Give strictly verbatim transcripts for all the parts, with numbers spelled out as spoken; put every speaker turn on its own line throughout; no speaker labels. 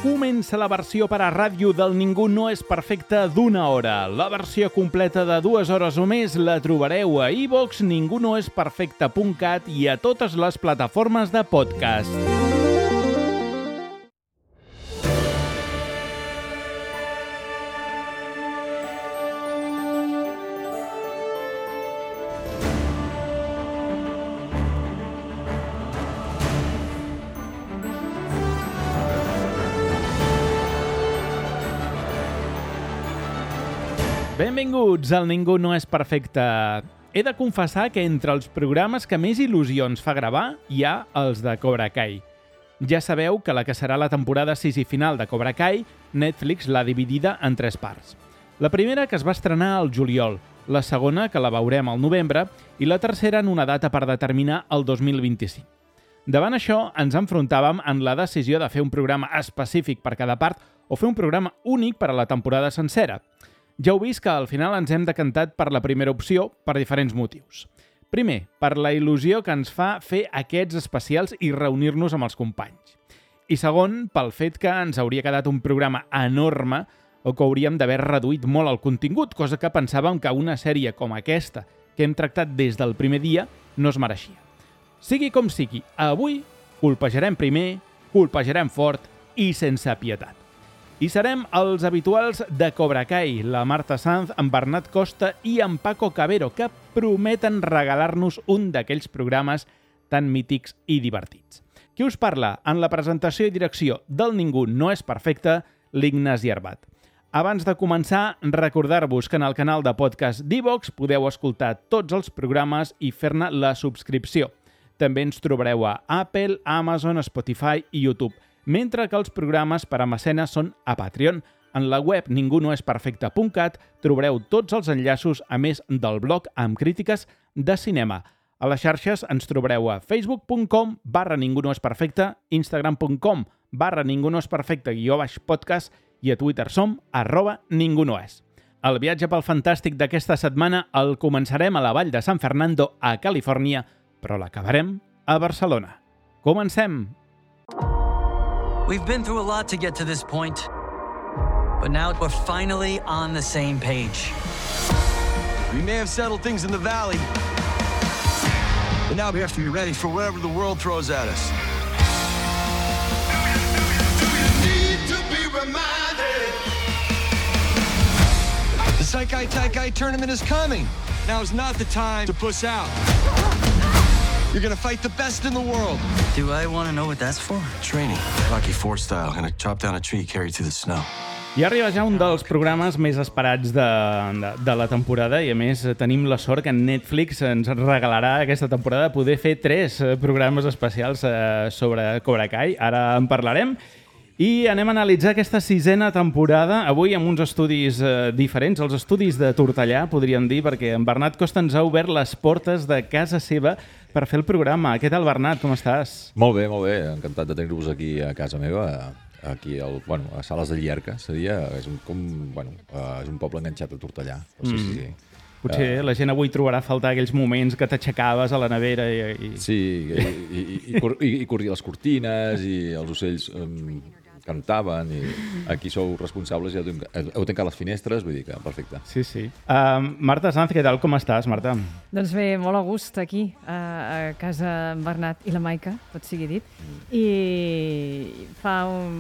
Comença la versió per a ràdio del Ningú no és perfecte d'una hora. La versió completa de dues hores o més la trobareu a iVox, ningú no és perfecte punt cat i a totes les plataformes de podcast. Benvinguts al Ningú no és perfecte. He de confessar que entre els programes que més il·lusions fa gravar hi ha els de Cobra Kai. Ja sabeu que la que serà la temporada sis i final de Cobra Kai, Netflix l'ha dividida en tres parts. La primera que es va estrenar al juliol, la segona que la veurem al novembre i la tercera en una data per determinar el dos mil vint-i-cinc. Davant això, ens enfrontàvem en la decisió de fer un programa específic per cada part o fer un programa únic per a la temporada sencera. Ja heu vist que al final ens hem decantat per la primera opció per diferents motius. Primer, per la il·lusió que ens fa fer aquests especials i reunir-nos amb els companys. I segon, pel fet que ens hauria quedat un programa enorme o que hauríem d'haver reduït molt el contingut, cosa que pensàvem que una sèrie com aquesta, que hem tractat des del primer dia, no es mereixia. Sigui com sigui, avui colpejarem primer, colpejarem fort i sense pietat. I serem els habituals de Cobra Kai, la Marta Sanz, en Bernat Costa i en Paco Cabero, que prometen regalar-nos un d'aquells programes tan mítics i divertits. Qui us parla en la presentació i direcció del Ningú no és perfecte, l'Ignasi Arbat. Abans de començar, recordar-vos que en el canal de podcast d'iVox podeu escoltar tots els programes i fer-ne la subscripció. També ens trobareu a Apple, Amazon, Spotify i YouTube, mentre que els programes per a mecenes són a Patreon. En la web ningú no és perfecte punt cat trobareu tots els enllaços, a més del blog amb crítiques de cinema. A les xarxes ens trobareu a facebook punt com barra ningú no és perfecte, instagram punt com barra ningú no és perfecte guió baix podcast i a Twitter som arroba ningú no és. El viatge pel fantàstic d'aquesta setmana el començarem a la vall de San Fernando, a Califòrnia, però l'acabarem a Barcelona. Comencem!
We've been through a lot to get to this point, but now we're finally on the same page.
We may have settled things in the valley, but now we have to be ready for whatever the world throws at us. Do you need to be reminded? The Saikai Taikai tournament is coming. Now is not the time to push out. You're gonna fight the best in the world.
Do I want to know what that's for?
Training, Rocky four style, gonna chop down a tree carried through the snow.
I arriba ja un dels programes més esperats de, de, de la temporada i a més tenim la sort que Netflix ens regalarà aquesta temporada poder fer tres programes especials eh, sobre Cobra Kai. Ara en parlarem. I anem a analitzar aquesta sisena temporada, avui amb uns estudis eh, diferents, els estudis de Tortellà, podríem dir, perquè en Bernat Costa ens ha obert les portes de casa seva per fer el programa. Què tal, Bernat? Com estàs?
Molt bé, molt bé. Encantat de tenir-vos aquí a casa meva, aquí al, bueno, a Sales de Llierca. Seria, és un, com, bueno, és un poble enganxat a Tortellà. Però sí, sí, sí.
Potser uh, la gent avui trobarà a faltar aquells moments que t'aixecaves a la nevera i... i...
Sí, i, i, i, i, cor, i, i corria les cortines i els ocells... Um, cantaven i aquí sou responsables i heu, heu tancat les finestres, vull dir que perfecte.
Sí, sí. Uh, Marta Sanz, què tal? Com estàs, Marta?
Doncs bé, molt a gust aquí, a, a casa en Bernat i la Maica, tot sigui dit. Mm. I fa un,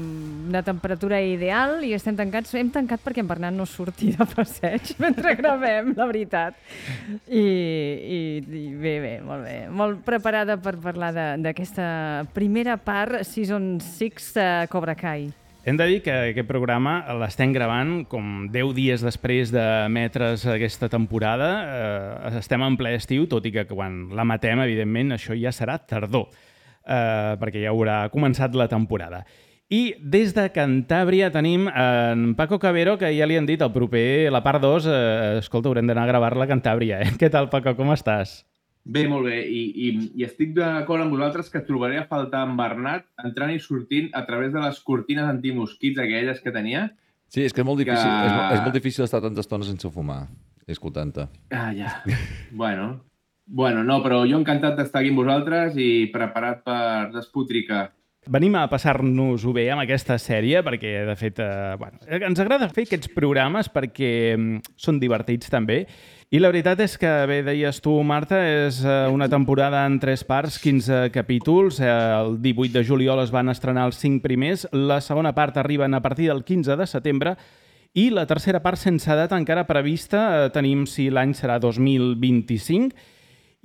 una temperatura ideal i estem tancats. Hem tancat perquè en Bernat no surti de passeig mentre gravem, la veritat. I, i, i bé, bé, molt bé. Molt preparada per parlar d'aquesta primera part, Season sis de Cobra Kai.
Hem de dir que aquest programa l'estem gravant com deu dies després d'emetre's aquesta temporada. Eh, estem en ple estiu, tot i que quan l'emetem, evidentment, això ja serà tardor, eh, perquè ja haurà començat la temporada. I des de Cantàbria tenim en Paco Cabero, que ja li han dit el proper, la part dos, eh, escolta, haurem d'anar a gravar-la a Cantàbria. Eh? Què tal, Paco, com estàs?
Bé, molt bé. I, i, i estic d'acord amb vosaltres que trobaré a faltar en Bernat entrant i sortint a través de les cortines antimosquits aquelles que tenia.
Sí, és que és molt difícil, que... és, és molt difícil estar tanta estona sense fumar, escoltant-te.
Ah, ja. bueno. Bueno, no, però jo encantat d'estar aquí amb vosaltres i preparat per despotricar.
Venim a passar-nos-ho bé amb aquesta sèrie perquè, de fet, eh, bueno, ens agrada fer aquests programes perquè mm, són divertits també. I la veritat és que, bé, deies tu, Marta, és eh, una temporada en tres parts, quinze capítols. Eh, el divuit de juliol es van estrenar els cinc primers. La segona part arriben a partir del quinze de setembre. I la tercera part, sense data encara prevista, eh, tenim si l'any serà dos mil vint-i-cinc.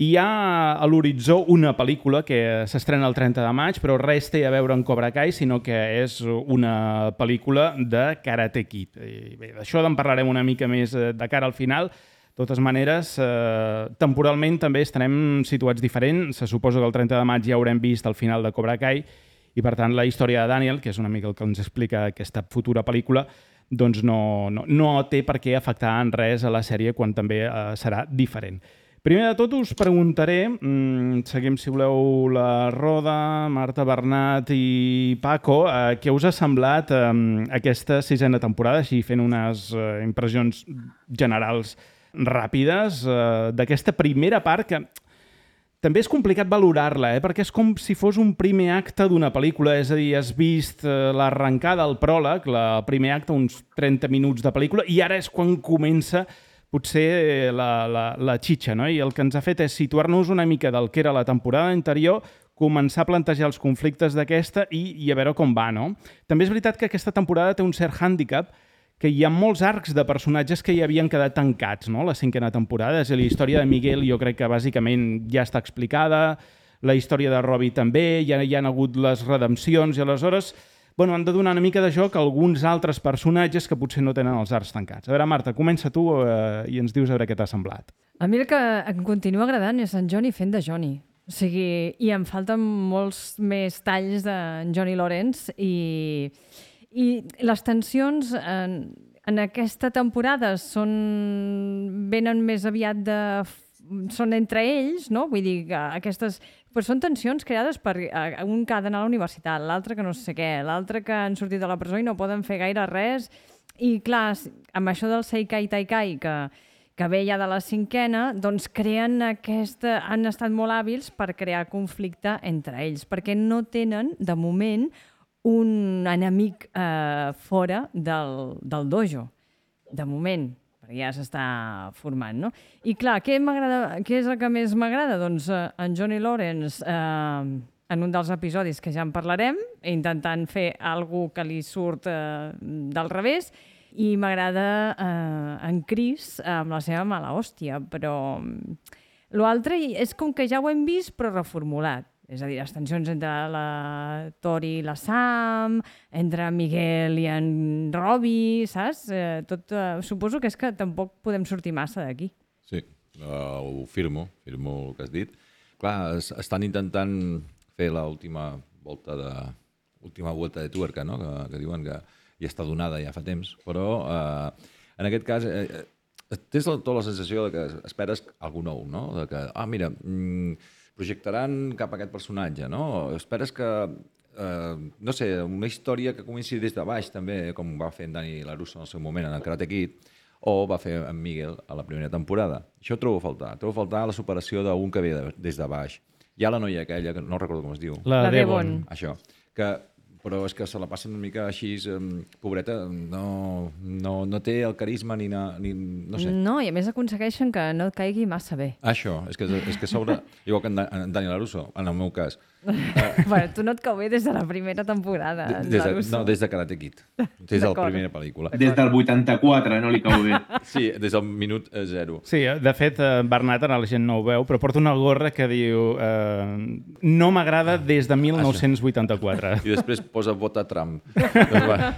Hi ha a l'horitzó una pel·lícula que s'estrena el trenta de maig, però res té a veure amb Cobra Kai, sinó que és una pel·lícula de Karate Kid. I bé, d'això en parlarem una mica més de cara al final. De totes maneres, eh, temporalment també estarem situats diferent. Se suposa que el trenta de maig ja haurem vist el final de Cobra Kai i, per tant, la història de Daniel, que és una mica el que ens explica aquesta futura pel·lícula, doncs no, no, no té per què afectar en res a la sèrie quan també eh, serà diferent. Primer de tot us preguntaré, mmm, seguim si voleu la roda, Marta, Bernat i Paco, eh, què us ha semblat eh, aquesta sisena temporada, així fent unes eh, impressions generals ràpides eh, d'aquesta primera part que també és complicat valorar-la, eh, perquè és com si fos un primer acte d'una pel·lícula, és a dir, has vist eh, l'arrencada, el pròleg, la, el primer acte, uns trenta minuts de pel·lícula, i ara és quan comença potser la, la, la xitxa, no? I el que ens ha fet és situar-nos una mica del que era la temporada anterior, començar a plantejar els conflictes d'aquesta i, i a veure com va, no? També és veritat que aquesta temporada té un cert hàndicap, que hi ha molts arcs de personatges que hi havien quedat tancats, no?, la cinquena temporada. És a dir, la història de Miguel jo crec que bàsicament ja està explicada, la història de Robbie també, ja hi ha hagut les redempcions i aleshores bueno, han de donar una mica de joc a alguns altres personatges que potser no tenen els arcs tancats. A veure, Marta, comença tu eh, i ens dius a veure què t'ha semblat.
A mi el que em continua agradant és en Johnny fent de Johnny. O sigui, i em falten molts més talls d'en Johnny Lawrence i, i les tensions en, en aquesta temporada són, venen més aviat de... són entre ells, no? Vull dir que aquestes... Però són tensions creades per un que ha d'anar a la universitat, l'altre que no sé què, l'altre que han sortit de la presó i no poden fer gaire res. I clar, amb això del Seikai Taikai, que, que ve ja de la cinquena, doncs creen aquesta... han estat molt hàbils per crear conflicte entre ells, perquè no tenen, de moment, un enemic eh, fora del, del dojo. De moment. Ja s'està formant, no? I clar, què m'agrada, què és el que més m'agrada? Doncs eh, en Johnny Lawrence, eh, en un dels episodis que ja en parlarem, intentant fer alguna que li surt eh, del revés, i m'agrada eh, en Chris amb la seva mala hòstia, però l'altre és com que ja ho hem vist, però reformulat. És a dir, les tensions entre la Tori i la Sam, entre Miguel i en Robbie, saps? Eh, tot, eh, suposo que és que tampoc podem sortir massa d'aquí.
Sí, uh, ho firmo, firmo el que has dit. Clar, es, estan intentant fer l'última volta de última volta de tuerca, no? que, que diuen que ja està donada ja fa temps, però uh, en aquest cas eh, tens tota la sensació de que esperes algú nou, no? De que, ah, mira... Mm, projectaran cap a aquest personatge, no? Esperes que, eh, no sé, una història que comenci des de baix, també, com va fer en Dani LaRusso en el seu moment en el Karate Kid, o va fer en Miguel a la primera temporada. Això ho trobo a faltar. Trobo a faltar la superació d'un que ve de, des de baix. Hi ha la noia aquella, que no recordo com es diu.
La,
la
Devon.
Això. Que... però és que se la passen una mica així, pobreta, no, no, no té el carisma ni, na, ni... no sé.
No, i a més aconsegueixen que no et caigui massa bé.
Això, és que, és que sobre... igual que en, en Dani LaRusso, en el meu cas.
Bueno, tu no et cau bé des de la primera temporada,
de, des de, No, des de Karate Kid. Des de la primera pel·lícula.
Des del vuitanta-quatre no li cau bé.
Sí, des del minut zero.
Sí, de fet, Bernat, ara la gent no ho veu, però porta una gorra que diu eh, no m'agrada des de mil nou-cents vuitanta-quatre.
I després posa vota Trump. Doncs, bueno,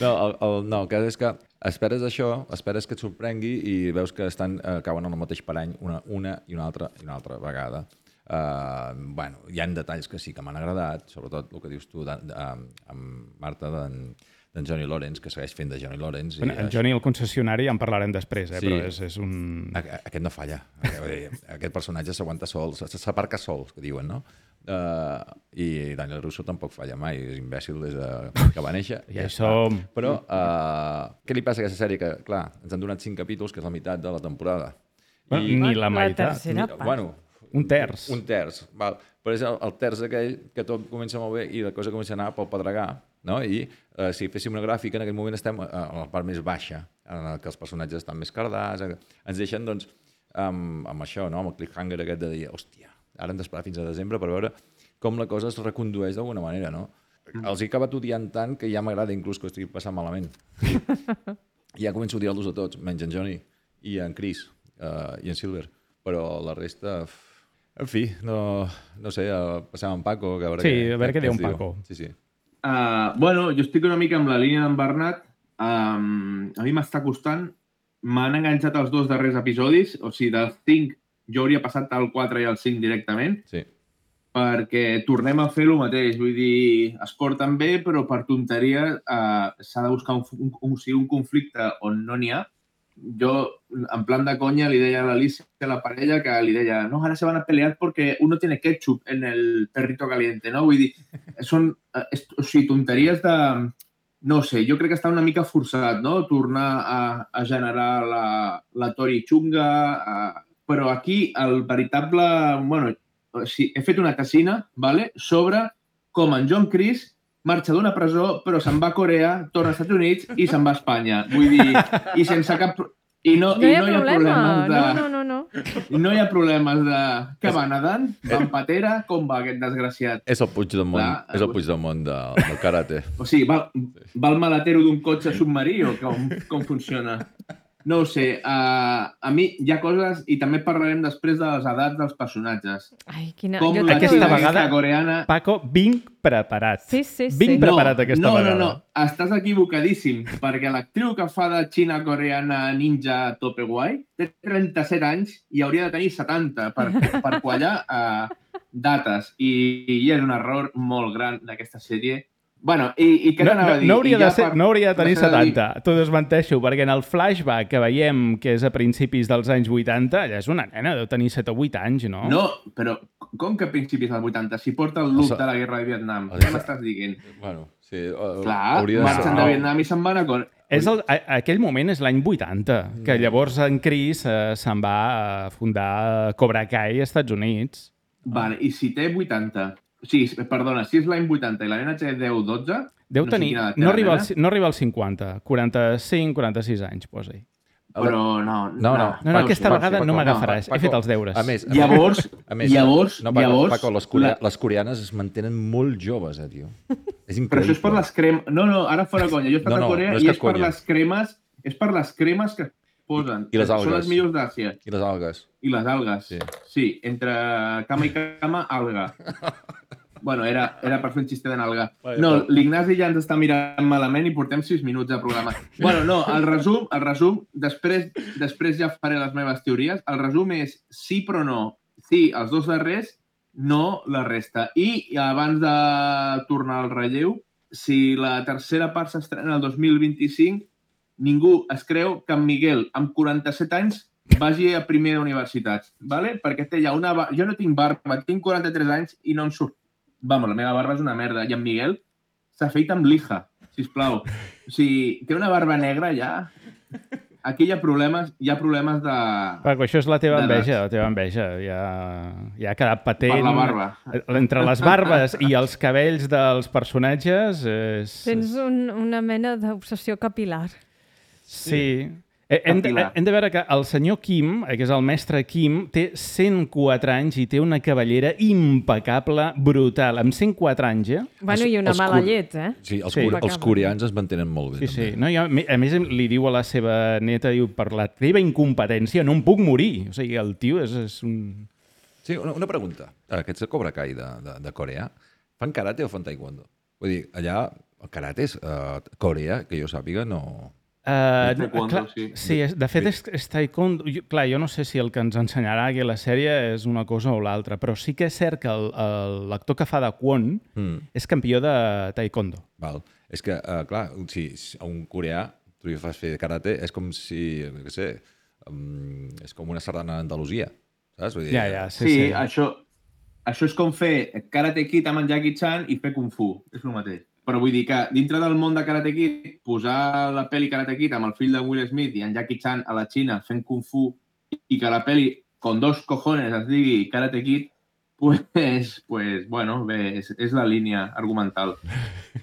no, el, el, no, el cas és que esperes això, esperes que et sorprengui i veus que estan, eh, cauen en el mateix parany una, una i una altra i una altra vegada. Uh, bueno, hi ha detalls que sí que m'han agradat, sobretot el que dius tu de, de, amb Marta d'en d'en Johnny Lawrence, que segueix fent de Johnny Lawrence.
Bueno, en Johnny, el concessionari, ja en parlarem després, eh?
Sí.
Però és, és un...
Aquest no falla. Aquest personatge s'aguanta sol, s'aparca sol, que diuen, no? Uh, I Daniel Russo tampoc falla mai, és imbècil des de que va néixer.
Ja hi som.
Però uh, què li passa a aquesta sèrie? Que, clar, ens han donat cinc capítols, que és la meitat de la temporada.
Bueno,
I,
ni la
La
meitat.
tercera
ni,
part.
bueno,
Un terç.
Un terç, val. Però és el, el terç aquell que tot comença molt bé i la cosa comença a anar pel pedregar, no? I eh, si féssim una gràfica, en aquest moment estem a, a la part més baixa, en què els personatges estan més cardats, ens deixen, doncs, amb, amb això, no? Amb el cliffhanger aquest de dir, hòstia, ara hem d'esperar fins a desembre per veure com la cosa es recondueix d'alguna manera, no? Mm. Els he acabat odiant tant que ja m'agrada inclús que ho estigui passant malament. I ja començo a odiar-los a tots, menys en Johnny i en Chris uh, i en Silver. Però la resta... En fi, no, no sé, passem amb Paco. Que a veure
sí,
què,
a veure què diu en
diu.
Paco.
Sí, sí.
Uh, bueno, jo estic una mica amb la línia d'en Bernat. Um, a mi m'està costant. M'han enganxat els dos darrers episodis. O sigui, dels cinc, jo hauria passat al quatre i al cinc directament.
Sí.
Perquè tornem a fer el mateix. Vull dir, es porten bé, però per tonteria uh, s'ha de buscar un, un, un, un conflicte on no n'hi ha. Jo, en plan de conya, li deia a l'Alicia, a la parella, que li deia no, ahora se van a pelear porque uno tiene ketchup en el perrito caliente, no? Vull dir, són es, o sigui, tonteries de... No sé, jo crec que està una mica forçat, no? Tornar a, a generar la, la Tori xunga, a... però aquí el veritable... Bueno, o sigui, he fet una tesina, vale? Sobre com en John Chris marxa d'una presó, però se'n va a Corea, torna als Estats Units i se'n va a Espanya. Vull dir, i sense cap... I no,
no hi ha,
i no
problema.
hi ha problemes de...
No, no, no, no.
No hi ha problemes de... Que va nedant? Va en patera? Com va aquest desgraciat?
És el Puigdemont,
Clar,
és el Puigdemont de, del karate.
O sigui, va, va el maletero d'un cotxe submarí o com, com funciona? No ho sé. Uh, a mi hi ha coses, i també parlarem després de les edats dels personatges.
Ai, quina...
Com
jo
la
Aquesta
xina
vegada,
coreana...
Paco, vinc preparat.
Sí, sí, sí.
Vinc preparat
no,
aquesta
no,
vegada.
No, no, no. Estàs equivocadíssim, perquè l'actriu que fa de xina coreana ninja tope guai té trenta-set anys i hauria de tenir setanta per, per quallar uh, dates. I, I és un error molt gran d'aquesta sèrie. Bueno, i, i què
no,
t'anava
no,
a dir?
no, hauria
ja
de ser,
per,
no hauria de tenir setanta,
dir...
t'ho desmenteixo, perquè en el flashback que veiem, que és a principis dels anys vuitanta, allà és una nena, deu tenir set o vuit anys, no?
No, però com que a principis dels vuitanta? Si porta el look
O
de la guerra de Vietnam,
o
què m'estàs dient?
Bueno, sí. Uh,
Clar, marxen de Vietnam i se'n van a...
És el, a, aquell moment és l'any vuitanta, que llavors en Chris eh, se'n va a fundar Cobra Kai als Estats Units.
Vale, i si té vuitanta... Sí, perdona, si és l'any vuitanta i la nena té deu o dotze...
Deu
no
tenir...
Sé
no, arriba al, no arriba als cinquanta, quaranta-cinc, quaranta-sis anys, posa-hi.
Però no...
No, no.
No, no,
Paco,
aquesta
Paco,
vegada
Paco,
no m'agafaràs.
Paco,
He fet els deures.
A més, a
Llavors,
a més,
llavors,
no, Paco,
llavors...
Paco, les, corea,
la...
les coreanes es mantenen molt joves, eh, tio. És increïble.
Però això és per les cremes... No, no, ara fora conya. Jo he estat
No, no,
a Corea
no és
i
cap
és per
conya.
les cremes... És per les cremes que posen.
I les algues.
Són les millors d'Àsia.
I les algues.
I les algues.
Sí.
Sí, entre cama i cama, alga. Bueno, era, era per fer un xiste de nalga. No, l'Ignasi ja ens està mirant malament i portem sis minuts de programa. Bueno, no, el resum, el resum després, després ja faré les meves teories. El resum és sí però no. Sí, els dos darrers, no la resta. I abans de tornar al relleu, si la tercera part s'estrena el dos mil vint-i-cinc, ningú es creu que en Miguel, amb quaranta-set anys, vagi a primer d'universitats, ¿vale? Perquè té ja una... Jo no tinc barba, tinc quaranta-tres anys i no em surt. Vamos, la meva barba és una merda. I en Miguel s'ha fet amb lija, sisplau. O sigui, té una barba negra ja. Aquí hi ha problemes, hi ha problemes de...
Paco, això és la teva
de
enveja, la teva enveja. Ja, ja ha quedat patent.
Per la barba.
Entre les barbes i els cabells dels personatges... És...
Tens un, una mena d'obsessió capilar.
Sí. Hem de, hem de veure que el senyor Kim, que és el mestre Kim, té cent quatre anys i té una cabellera impecable, brutal. Amb cent quatre anys, eh?
Bueno, i una
els
mala
cor-
llet, eh?
Sí, els,
Sí.
sí. els coreans es mantenen molt bé.
Sí, sí.
també.
No, jo, a més, li diu a la seva neta, diu, per la teva incompetència no em puc morir. O sigui, el tio és, és un...
Sí, una, una pregunta. Aquests de Cobra Kai de, de, de Corea, fan karate o fan taekwondo? Vull dir, allà el karate és uh, Corea, que jo sàpiga, no...
Uh,
És taekwondo,
clar,
sí.
sí, és, de fet és, és taekwondo. Jo, clar, jo no sé si el que ens ensenyarà aquí a la sèrie és una cosa o l'altra, però sí que és cert que el- el- l'actor que fa de Kwon
Mm.
és campió de taekwondo.
Val. És que, uh, clar, si, si a un coreà tu li fas fer karate, és com si, no sé, um, és com una sardana d'Andalusia, saps? Vull dir,
Ja, ja, sí,
Sí,
sí.
sí. Això, això és com fer Karate Kid amb en Jackie Chan i fer Kung Fu. És el mateix. Però vull dir que dintre del món de Karate Kid, posar la pel·li Karate Kid amb el fill de Will Smith i en Jackie Chan a la Xina fent Kung Fu i que la pel·li con dos cojones es digui Karate Kid, pues, pues bueno, bé, és, és la línia argumental.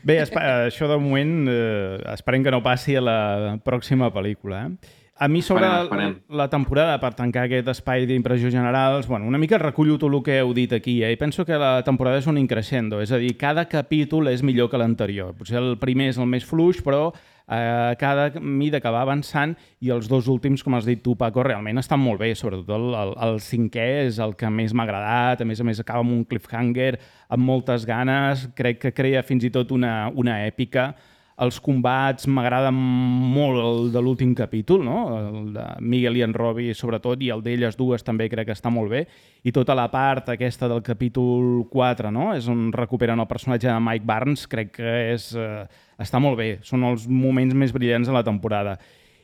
Bé, això de moment eh, esperem que no passi a la pròxima pel·lícula. Eh? A mi sobre
esperem, esperem.
la temporada, per tancar aquest espai d'impressions generals, bueno, una mica recullo tot el que heu dit aquí, eh? I penso que la temporada és un increixendo, és a dir, cada capítol és millor que l'anterior. Potser el primer és el més fluix, però eh, cada mida que va avançant i els dos últims, com has dit tu, Paco, realment estan molt bé, sobretot el, el, el cinquè és el que més m'ha agradat, a més a més acaba amb un cliffhanger, amb moltes ganes, crec que crea fins i tot una, una èpica. Els combats m'agraden molt el de l'últim capítol, no? El de Miguel i en Robbie, sobretot, i el d'elles dues també crec que està molt bé. I tota la part aquesta del capítol quatre, no? És on recuperen el personatge de Mike Barnes, crec que és, eh, està molt bé. Són els moments més brillants de la temporada.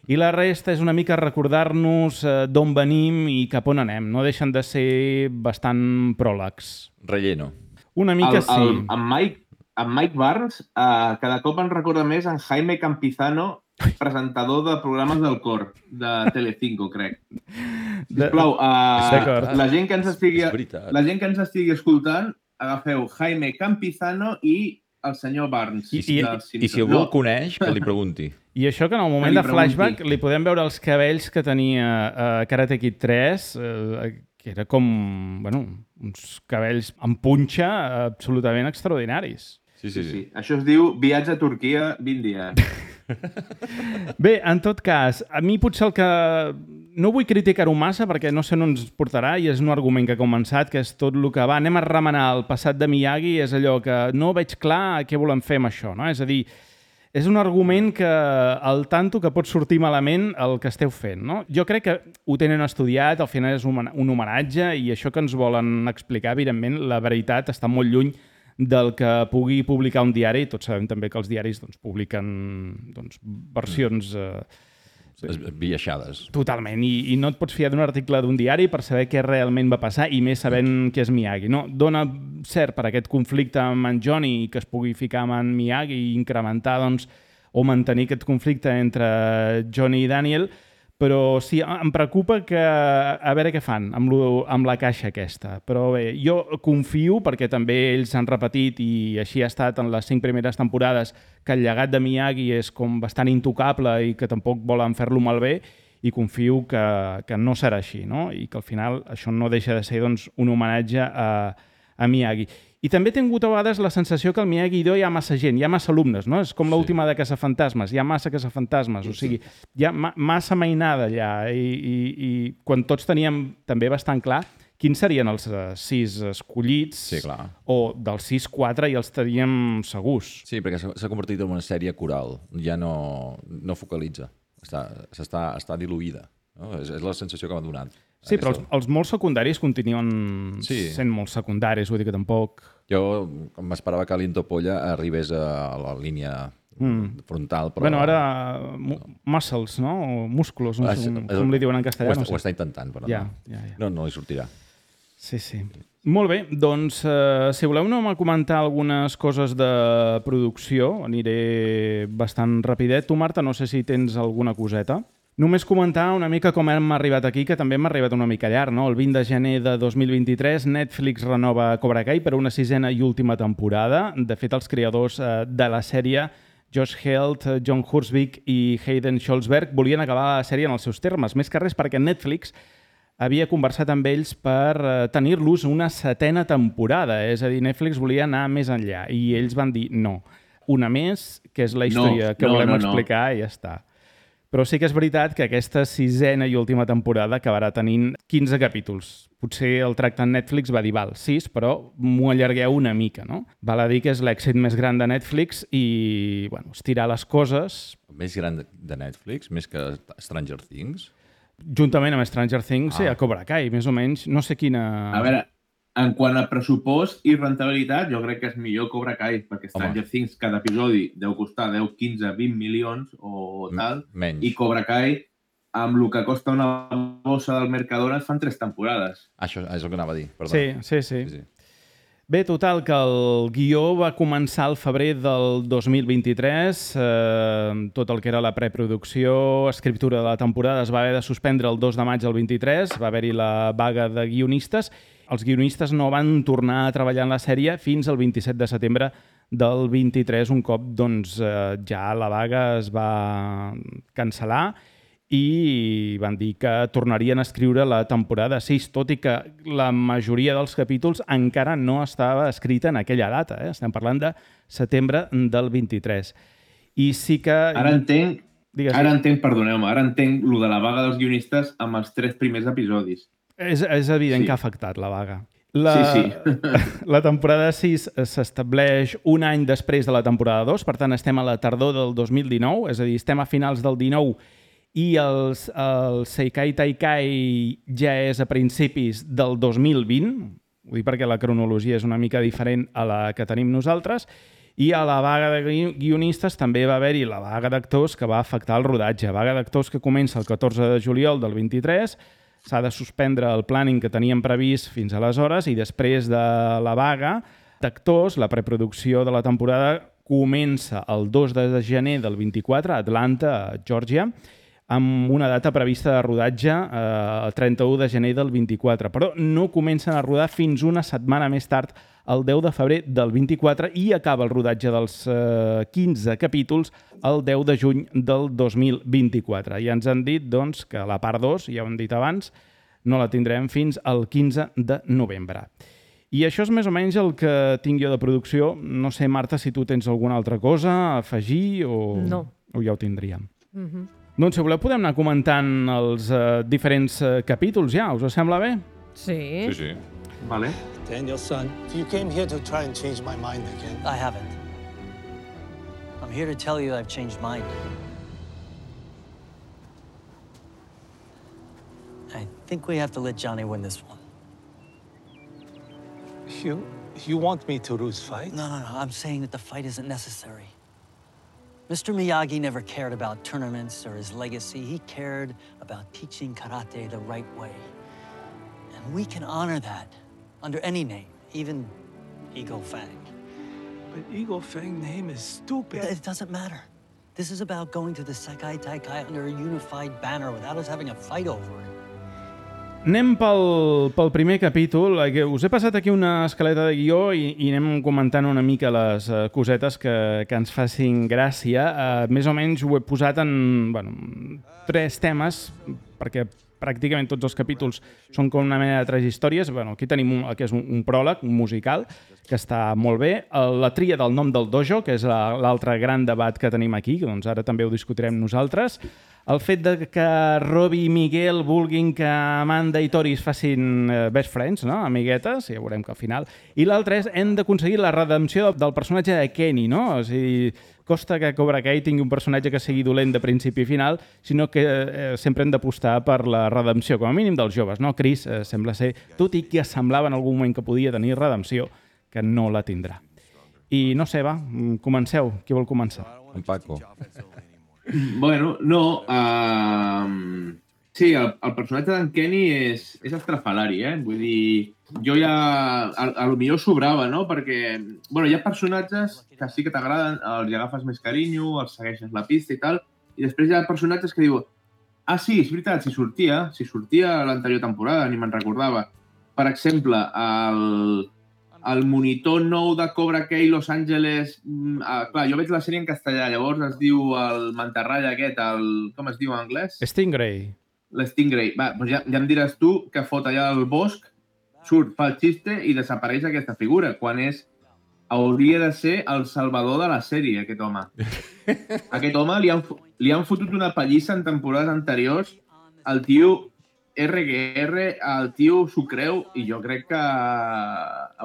I la resta és una mica recordar-nos eh, d'on venim i cap on anem. No deixen de ser bastant pròlegs.
Relleno.
Una mica
el,
sí.
El, en Mike En Mike Barnes, uh, cada cop ens recorda més en Jaime Campizano, presentador de programes del cor, de Telecinco, crec. Sisplau, uh, la, gent que ens estigui, la gent que ens estigui escoltant, agafeu Jaime Campizano i el senyor Barnes.
I, i, i si algú el coneix, que li pregunti.
I això que en el moment de flashback li podem veure els cabells que tenia a uh, Karate Kid tres, uh, que era com, bueno, uns cabells amb punxa absolutament extraordinaris.
Sí, sí, sí. sí.
Això es diu viatge a Turquia vint dies.
Bé, en tot cas, a mi potser el que... No vull criticar-ho massa perquè no sé on ens portarà i és un argument que ha començat, que és tot el que va. Anem a remenar el passat de Miyagi, és allò que no veig clar què volem fer amb això, no? És a dir, és un argument que al tanto que pot sortir malament el que esteu fent, no? Jo crec que ho tenen estudiat, al final és un homenatge i això que ens volen explicar, evidentment, la veritat està molt lluny del que pugui publicar un diari. Tots sabem també que els diaris doncs, publiquen doncs, versions... Eh,
esbiaixades.
Totalment, I, i no et pots fiar d'un article d'un diari per saber què realment va passar i més sabent què és Miyagi. No? Dona cert per aquest conflicte amb en Johnny que es pugui ficar amb en Miyagi i incrementar doncs, o mantenir aquest conflicte entre Johnny i Daniel, però sí, em preocupa que a veure què fan amb, lo, amb la caixa aquesta. Però bé, jo confio, perquè també ells han repetit i així ha estat en les cinc primeres temporades, que el llegat de Miyagi és com bastant intocable i que tampoc volen fer-lo malbé, i confio que, que no serà així, no? I que al final això no deixa de ser doncs, un homenatge a, a Miyagi. I també he tingut a vegades la sensació que al Miyagi-Do hi ha massa gent, hi ha massa alumnes, no? És com sí. l'última de Caçafantasmes, hi ha massa Caçafantasmes, sí, o sigui, hi ha ma massa mainada allà, i, i, i quan tots teníem també bastant clar quins serien els uh, sis escollits,
sí, clar.
O dels sis, quatre ja els teníem segurs.
Sí, perquè s'ha convertit en una sèrie coral, ja no, no focalitza, està, està, està diluïda. No? És, és la sensació que m'ha donat.
Sí, però els, els molt secundaris continuen sí. sent molt secundaris, vull dir que tampoc...
Jo m'esperava que l'Intopolla arribés a la línia mm. frontal, però...
Bueno, ara muscles, no? O músculos, no sé com, com li diuen en castellà.
Ho està,
no sé.
ho està intentant, però
ja,
no.
Ja, ja.
no. No li sortirà.
Sí, sí. Molt bé, doncs, eh, si voleu anem a comentar algunes coses de producció, aniré bastant rapidet. Tu, Marta, no sé si tens alguna coseta. Només comentar una mica com hem arribat aquí, que també hem arribat una mica llarg, no? El vint de gener de dos mil vint-i-tres, Netflix renova Cobra Kai per una sisena i última temporada. De fet, els creadors eh, de la sèrie, Josh Helt, John Hursvik i Hayden Schultzberg, volien acabar la sèrie en els seus termes, més que res perquè Netflix havia conversat amb ells per eh, tenir-los una setena temporada. És a dir, Netflix volia anar més enllà i ells van dir no. Una més, que és la història no, que
no,
volem
no,
explicar no. I ja està. Però sí que és veritat que aquesta sisena i última temporada acabarà tenint quinze capítols. Potser el tracte en Netflix va dir, val, sis, però m'ho allargueu una mica, no? Val a dir que és l'èxit més gran de Netflix i, bueno, estirar les coses...
Més gran de Netflix? Més que Stranger Things?
Juntament amb Stranger Things, ah. sí, a Cobra Kai, més o menys. No sé quina...
A veure, en quant a pressupost i rentabilitat, jo crec que és millor Cobra Kai, perquè Stranger Home. Things cada episodi deu costar deu, quinze, vint milions o tal,
menys.
I Cobra Kai, amb el que costa una bossa del Mercadona, fan tres temporades.
Això és el que anava a dir, perdó.
Sí, sí, sí. sí, sí. Bé, total, que el guió va començar al febrer del dos mil vint-i-tres. Eh, tot el que era la preproducció, escriptura de la temporada es va haver de suspendre el dos de maig del vint-i-tres. Va haver-hi la vaga de guionistes. Els guionistes no van tornar a treballar en la sèrie fins al vint-i-set de setembre del vint-i-tres, un cop doncs, eh, ja la vaga es va cancel·lar i van dir que tornarien a escriure la temporada sis, tot i que la majoria dels capítols encara no estava escrita en aquella data. Eh? Estem parlant de setembre del vint-i-tres. I sí que...
Ara entenc,
Digues,
ara entenc, perdoneu-me, ara entenc lo de la vaga dels guionistes amb els tres primers episodis.
És, és evident
Sí.
que ha afectat la vaga. La,
Sí, sí.
la temporada sis s'estableix un any després de la temporada dos, per tant estem a la tardor del dos mil dinou, és a dir, estem a finals del dinou i els, el Seikai Taikai ja és a principis del dos mil vint, ho dic perquè la cronologia és una mica diferent a la que tenim nosaltres, i a la vaga de guionistes també va haver-hi la vaga d'actors que va afectar el rodatge. Vaga d'actors que comença el catorze de juliol del vint-i-tres, s'ha de suspendre el planning que teníem previst fins aleshores i després de la vaga d'actors, la preproducció de la temporada comença el dos de gener del vint-i-quatre a Atlanta, a Georgia, amb una data prevista de rodatge eh, el trenta-u de gener del vint-i-quatre, però no comencen a rodar fins una setmana més tard, el deu de febrer del vint-i-quatre, i acaba el rodatge dels eh, quinze capítols el deu de juny del dos mil vint-i-quatre. I ens han dit doncs, que la part dos, ja ho hem dit abans, no la tindrem fins al quinze de novembre. I això és més o menys el que tinc jo de producció. No sé, Marta, si tu tens alguna altra cosa a afegir o,
No.
o ja ho tindríem.
Mhm.
Doncs, si voleu, podem anar comentant els uh, diferents uh, capítols ja. Us sembla bé?
Sí.
Sí, sí.
Vale.
Daniel, son, you came here to try and change my mind again.
I haven't. I'm here to tell you I've changed mine. I think we have to let Johnny win this one.
You, you want me to lose fight?
No, no, no. I'm saying that the fight isn't necessary. Mister Miyagi never cared about tournaments or his legacy. He cared about teaching karate the right way. And we can honor that under any name, even Eagle Fang.
But Eagle Fang name is stupid.
It doesn't matter. This is about going to the Sekai Taikai under a unified banner without us having a fight over it.
Anem pel, pel primer capítol. Us he passat aquí una escaleta de guió i, i anem comentant una mica les uh, cosetes que, que ens facin gràcia. Uh, més o menys ho he posat en bueno, tres temes, perquè pràcticament tots els capítols són com una mena de tres històries. Bueno, aquí tenim un, que és un, un pròleg, un musical, que està molt bé. La tria del nom del dojo, que és l'altre gran debat que tenim aquí, que doncs ara també ho discutirem nosaltres. El fet de que Robbie i Miguel vulguin que Amanda i Tori es facin best friends, no? Amiguetes, ja veurem que al final. I l'altre és, hem d'aconseguir la redempció del personatge de Kenny, no? O sigui, costa que Cobra Kai tingui un personatge que sigui dolent de principi i final, sinó que eh, sempre hem d'apostar per la redempció, com a mínim dels joves, no? Chris eh, sembla ser, tot i que semblava en algun moment que podia tenir redempció, que no la tindrà. I no sé, va, comenceu. Qui vol començar?
En Paco.
Bueno, no... Uh, sí, el, el personatge d'en Kenny és, és estrafalari, eh? Vull dir, jo ja... A, a lo millor sobrava, no? Perquè, bueno, hi ha personatges que sí que t'agraden, els hi agafes més carinyo, els segueixes la pista i tal, i després hi ha personatges que diuen ah, sí, és veritat, si sortia, si sortia a l'anterior temporada, ni me'n recordava. Per exemple, el... el monitor nou de Cobra Kai Los Angeles... Uh, clar, jo veig la sèrie en castellà, llavors es diu el mantarralla aquest, el... com es diu en anglès?
Stingray.
L'Stingray. Va, doncs ja, ja em diràs tu que fot allà al bosc, surt, fa el xiste i desapareix aquesta figura, quan és... hauria de ser el salvador de la sèrie, aquest home. Aquest home li han, li han fotut una pallissa en temporades anteriors, el tio... erre ge erre, el tio s'ho creu i jo crec que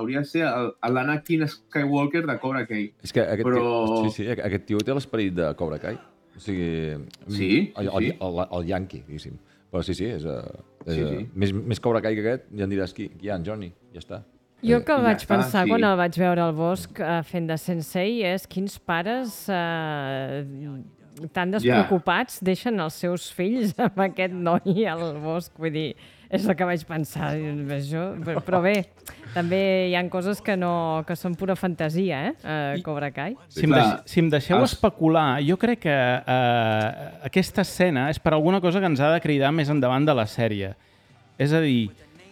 hauria de ser l'Anakin Skywalker de Cobra Kai.
És que aquest,
Però...
tio, sí, sí, aquest tio té l'esperit de Cobra Kai. O sigui,
sí,
el, el,
sí.
el, el Yankee, diguéssim. Però sí, sí, és, és
Sí, sí.
més, més Cobra Kai que aquest, ja em diràs qui, qui hi ha, en Johnny, ja està.
Jo que
Ja
vaig
està,
pensar
sí.
quan el vaig veure al bosc eh, fent de sensei és quins pares eh, tan despreocupats yeah. deixen els seus fills amb aquest noi al bosc. Vull dir, és el que vaig pensar. Això, però bé, també hi ha coses que, no, que són pura fantasia, eh? Uh, Cobra Kai.
Si em, deix, si em deixeu els... especular, jo crec que uh, aquesta escena és per alguna cosa que ens ha de cridar més endavant de la sèrie. És a dir,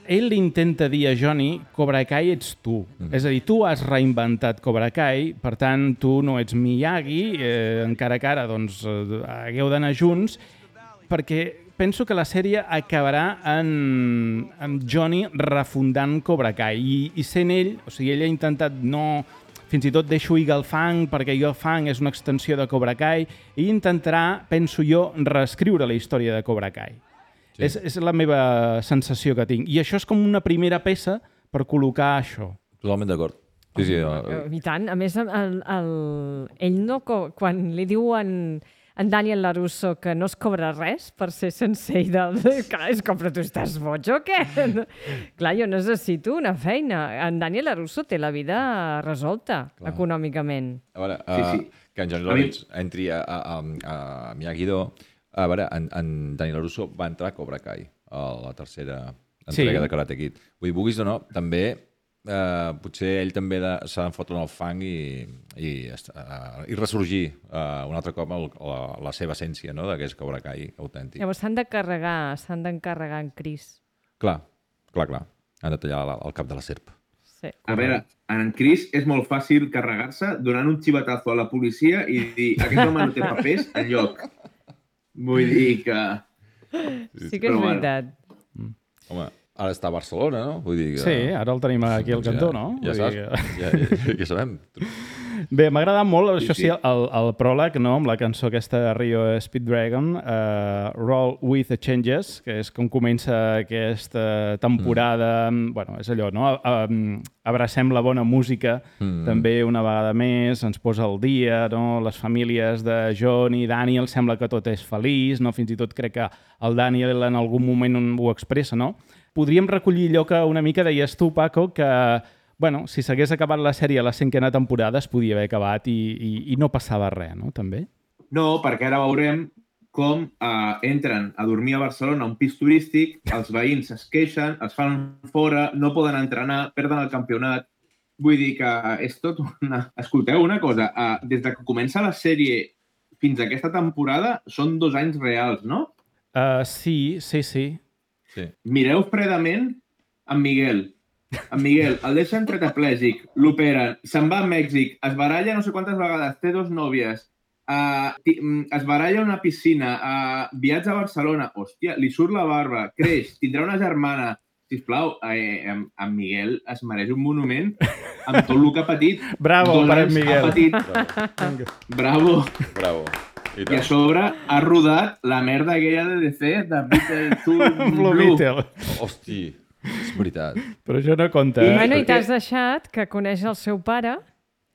ell li intenta dir a Johnny, Cobra Kai ets tu. Mm. És a dir, tu has reinventat Cobra Kai, per tant, tu no ets Miyagi, eh, encara que ara doncs, eh, hagueu d'anar junts, perquè penso que la sèrie acabarà en, en Johnny refundant Cobra Kai. I, i sent ell, o sigui, ell ha intentat no... Fins i tot deixo Eagle Fang, perquè Eagle Fang és una extensió de Cobra Kai, i intentarà, penso jo, reescriure la història de Cobra Kai. Sí. És, és la meva sensació que tinc. I això és com una primera peça per col·locar això.
Totalment d'acord. Sí, sí, el...
I tant. A més, el, el, ell no... Quan li diu en, en Daniel LaRusso que no es cobra res per ser sensei del... Clar, és com, però tu estàs boig o què? Clar, jo necessito una feina. En Daniel LaRusso té la vida resolta, clar, econòmicament.
A veure, uh, sí, sí. que en Johnny Lawrence entri a, a, a, a Miyagi-Do. A veure, en, en Daniel LaRusso va entrar a Cobra Kai, a la tercera entrega sí. de Karate Kid. Vull dir, vulguis o no, també, eh, potser ell també s'ha d'enfotre en el fang i, i, uh, i ressorgir uh, un altre cop el, la, la seva essència, no?, de que és Cobra Kai autèntic.
Llavors s'han de carregar, s'han d'encarregar en Chris.
Clar, clar, clar. Han de tallar la, el cap de la serp.
Sí.
A veure, en Chris és molt fàcil carregar-se donant un xivatazo a la policia i dir aquest home no té papers enlloc. Vull dir que...
Sí que és veritat.
Mm. Home, ara està a Barcelona, no? Vull dir que...
Sí, ara el tenim aquí al cantó, no?
Ja, ja saps, que... ja, ja, ja sabem.
Bé, m'ha agradat molt, això sí, el, el pròleg, no?, amb la cançó aquesta de Rio Speeddragon, uh, Roll with the Changes, que és com comença aquesta temporada, mm. bueno, és allò, no?, uh, abracem la bona música, mm. també una vegada més, ens posa al dia, no?, les famílies de John i Daniel, sembla que tot és feliç, no?, fins i tot crec que el Daniel en algun moment ho expressa, no? Podríem recollir allò que una mica deies tu, Paco, que bueno, si s'hagués acabat la sèrie a la cinquena temporada es podia haver acabat i, i, i no passava res, no? També?
No, perquè ara veurem com eh, entren a dormir a Barcelona a un pis turístic, els veïns es queixen, es fan fora, no poden entrenar, perden el campionat. Vull dir que és tot una... Escolteu una cosa, eh, des de que comença la sèrie fins a aquesta temporada són dos anys reals, no?
Uh, sí, sí, sí.
sí.
Mireu fredament en Miguel. En Miguel, el deixen tetraplègic, l'operen, se'n va a Mèxic, es baralla no sé quantes vegades, té dos nòvies, uh, es baralla a una piscina, uh, viatja a Barcelona, hòstia, li surt la barba, creix, tindrà una germana. Sisplau, eh, en, en Miguel es mereix un monument amb tot el que ha patit.
Bravo, per en Miguel.
Ha patit. Bravo.
Bravo.
I, I a sobre ha rodat la merda aquella de D C de Beetle
Blue Beetle.
Hòstia. És veritat.
Però això no compta.
I, bueno, i t'has deixat que coneix el seu pare,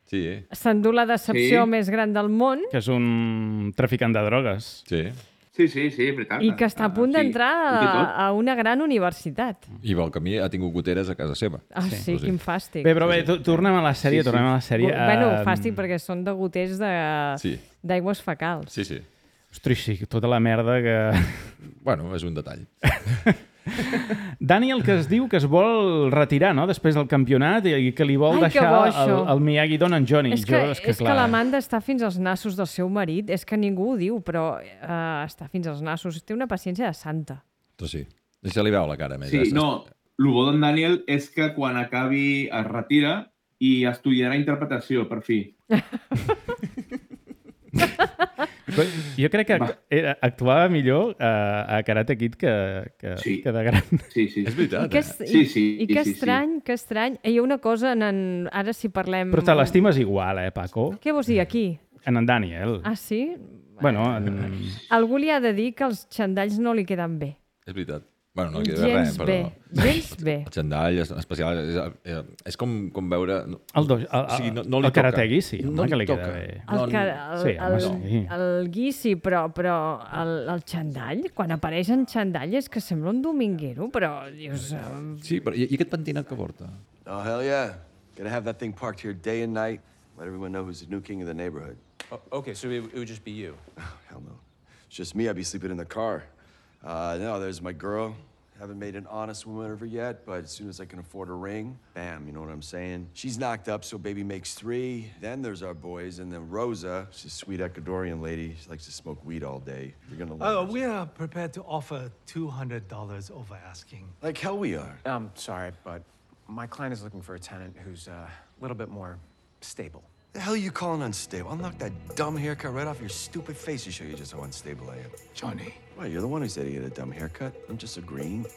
sí.
s'endú la decepció
sí.
més gran del món.
Que és un traficant de drogues.
Sí.
Sí, sí, sí, veritat.
I que està a punt ah, d'entrar sí. a, a una gran universitat.
I pel camí ha tingut goteres a casa seva.
Ah, sí, sí, quin fàstic.
Bé, però bé, tornem a la sèrie, sí, sí. tornem a la sèrie.
Bueno, fàstic perquè són de goters
sí.
d'aigües fecals.
Sí, sí.
Ostres, sí, tota la merda que...
Bueno, és un detall.
Daniel, que es diu que es vol retirar, no?, després del campionat i que li vol
Ai,
deixar el, el Miyagi-Do en Johnny.
És que,
jo, és que,
és
clar...
que l'Amanda està fins als nassos del seu marit. És que ningú ho diu, però uh, està fins als nassos. Té una paciència de santa.
Però sí. Se li veu la cara més.
Sí, no. El bo d'en Daniel és que quan acabi es retira i estudiarà interpretació, per fi.
Jo crec que era, actuava millor uh, a Karate Kid que, que,
sí.
que de gran.
Sí, sí.
És veritat,
I que,
eh?
I,
sí, sí,
i que
sí,
estrany,
sí.
que estrany. Hi ha una cosa, en, en, ara si parlem...
Però te l'estimes igual, eh, Paco?
Què vols dir, aquí?
En en Daniel.
Ah, sí?
Bueno, en...
Algú li ha de dir que els xandalls no li queden bé.
És veritat. Bueno, no queda
gens
res, però...
bé, gens bé.
El xandall és especial, és, és com, com veure...
El, do, el, el,
o sigui, no, no li
el karategi, sí,
no
que li
toca.
queda bé.
El, que, el,
sí,
el,
home, sí.
el guissi, però, però el, el xandall, quan apareix en xandall és que sembla un dominguero, però dius... Um...
Sí, però i, i aquest pentinat que porta?
Oh, hell yeah. Gotta have that thing parked here day and night. Let everyone know who's the new king of the neighborhood.
Oh, okay, so it, it would just be you.
Hell no. It's just me, I'd be sleeping in the car. Uh, no, there's my girl. Haven't made an honest woman of her yet, but as soon as I can afford a ring, bam, you know what I'm saying? She's knocked up, so baby makes three. Then there's our boys, and then Rosa, she's a sweet Ecuadorian lady. She likes to smoke weed all day. You're gonna love
Oh,
her.
we are prepared to offer two hundred dollars over asking.
Like hell we are.
I'm sorry, but my client is looking for a tenant who's uh, a little bit more stable.
The hell are you calling unstable? I'll knock that dumb haircut right off your stupid face to show you just how unstable I am.
Johnny.
Well, you're the one who said he had a dumb haircut. I'm just agreeing.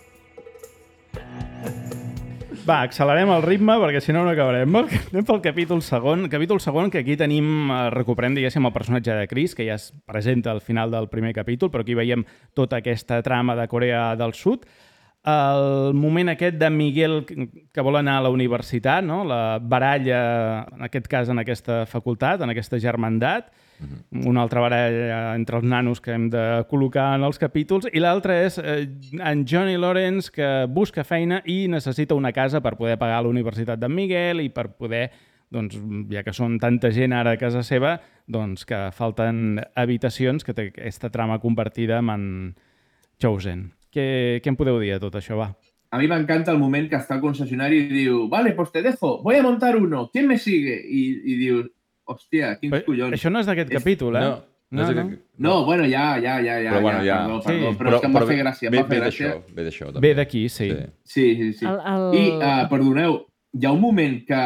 Va, accelerem el ritme perquè si no no acabarem. Anem pel capítol segon. Capítol segon que aquí tenim, eh, recuperem, diguéssim, el personatge de Chris, que ja es presenta al final del primer capítol, però aquí veiem tota aquesta trama de Corea del Sud. El moment aquest de Miguel que vol anar a la universitat, no? La baralla, en aquest cas, en aquesta facultat, en aquesta germandat, mm-hmm. una altra baralla entre els nanos que hem de col·locar en els capítols, i l'altra és eh, en Johnny Lawrence, que busca feina i necessita una casa per poder pagar la universitat d'en Miguel i per poder, doncs, ja que són tanta gent ara a casa seva, doncs que falten habitacions, que té aquesta trama compartida amb en Chosen. Què, què em podeu dir de tot això, va?
A mi m'encanta el moment que està al concessionari i diu, vale, pues te dejo, voy a montar uno, ¿quién me sigue? I, i diu, hòstia, quins
Però,
collons.
això no és d'aquest
És...
capítol, eh?
No, no, és
no.
aquest...
No, bueno, ja, ja, ja, ja,
Però bueno,
ja,
ja.
perdó,
Sí.
perdó, però,
Però-
és que em va
però
fer gràcia, em
ve-
va fer
ve
gràcia.
d'això, ve d'això, també.
Ve d'aquí, sí.
Sí.
Sí, sí, sí.
El, el...
I, uh, perdoneu, hi ha un moment que,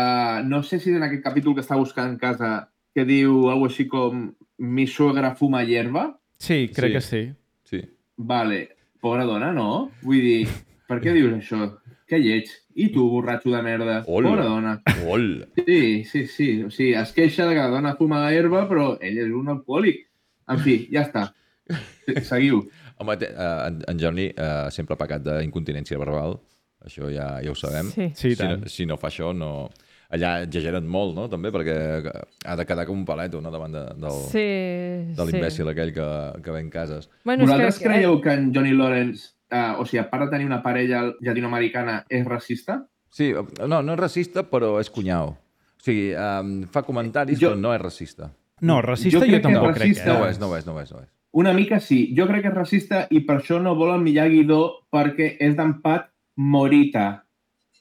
no sé si és en aquest capítol que està buscant casa, que diu alguna cosa així com mi suegra fuma hierba.
Sí, crec
Sí.
que sí.
Sí.
Vale, pobra dona, no? Vull dir, per què dius això? Que lleig. I tu, borratxo de merda.
Hola.
Pobra dona.
Hola.
Sí, sí, sí. O sigui, es queixa de que la dona fuma herba, però ell és un alcohòlic. En fi, ja està. Seguiu.
Home, té- eh, en, en Johnny eh, sempre ha pecat d'incontinència verbal. Això ja, ja ho sabem.
Sí.
Sí,
si,
tant.
no, si no fa això, no... Allà exageren molt, no?, també, perquè ha de quedar com un paleto, no?, davant de, del,
Sí,
de l'imbècil sí. aquell que, que ve en cases.
Bueno,
Vosaltres
és que...
creieu que en Johnny Lawrence, uh, o sigui, a part de tenir una parella llatinoamericana, és racista?
Sí, no, no és racista, però és cunyau. O sigui, um, fa comentaris,
Jo-
però no és racista.
No, racista
Jo
jo,
crec que
tampoc crec.
racista-
Eh?
No ho és, no ho és, no ho és. No ho és.
Una mica sí. Jo crec que és racista i per això no vol el Miyagi-Do perquè és d'empat Morita.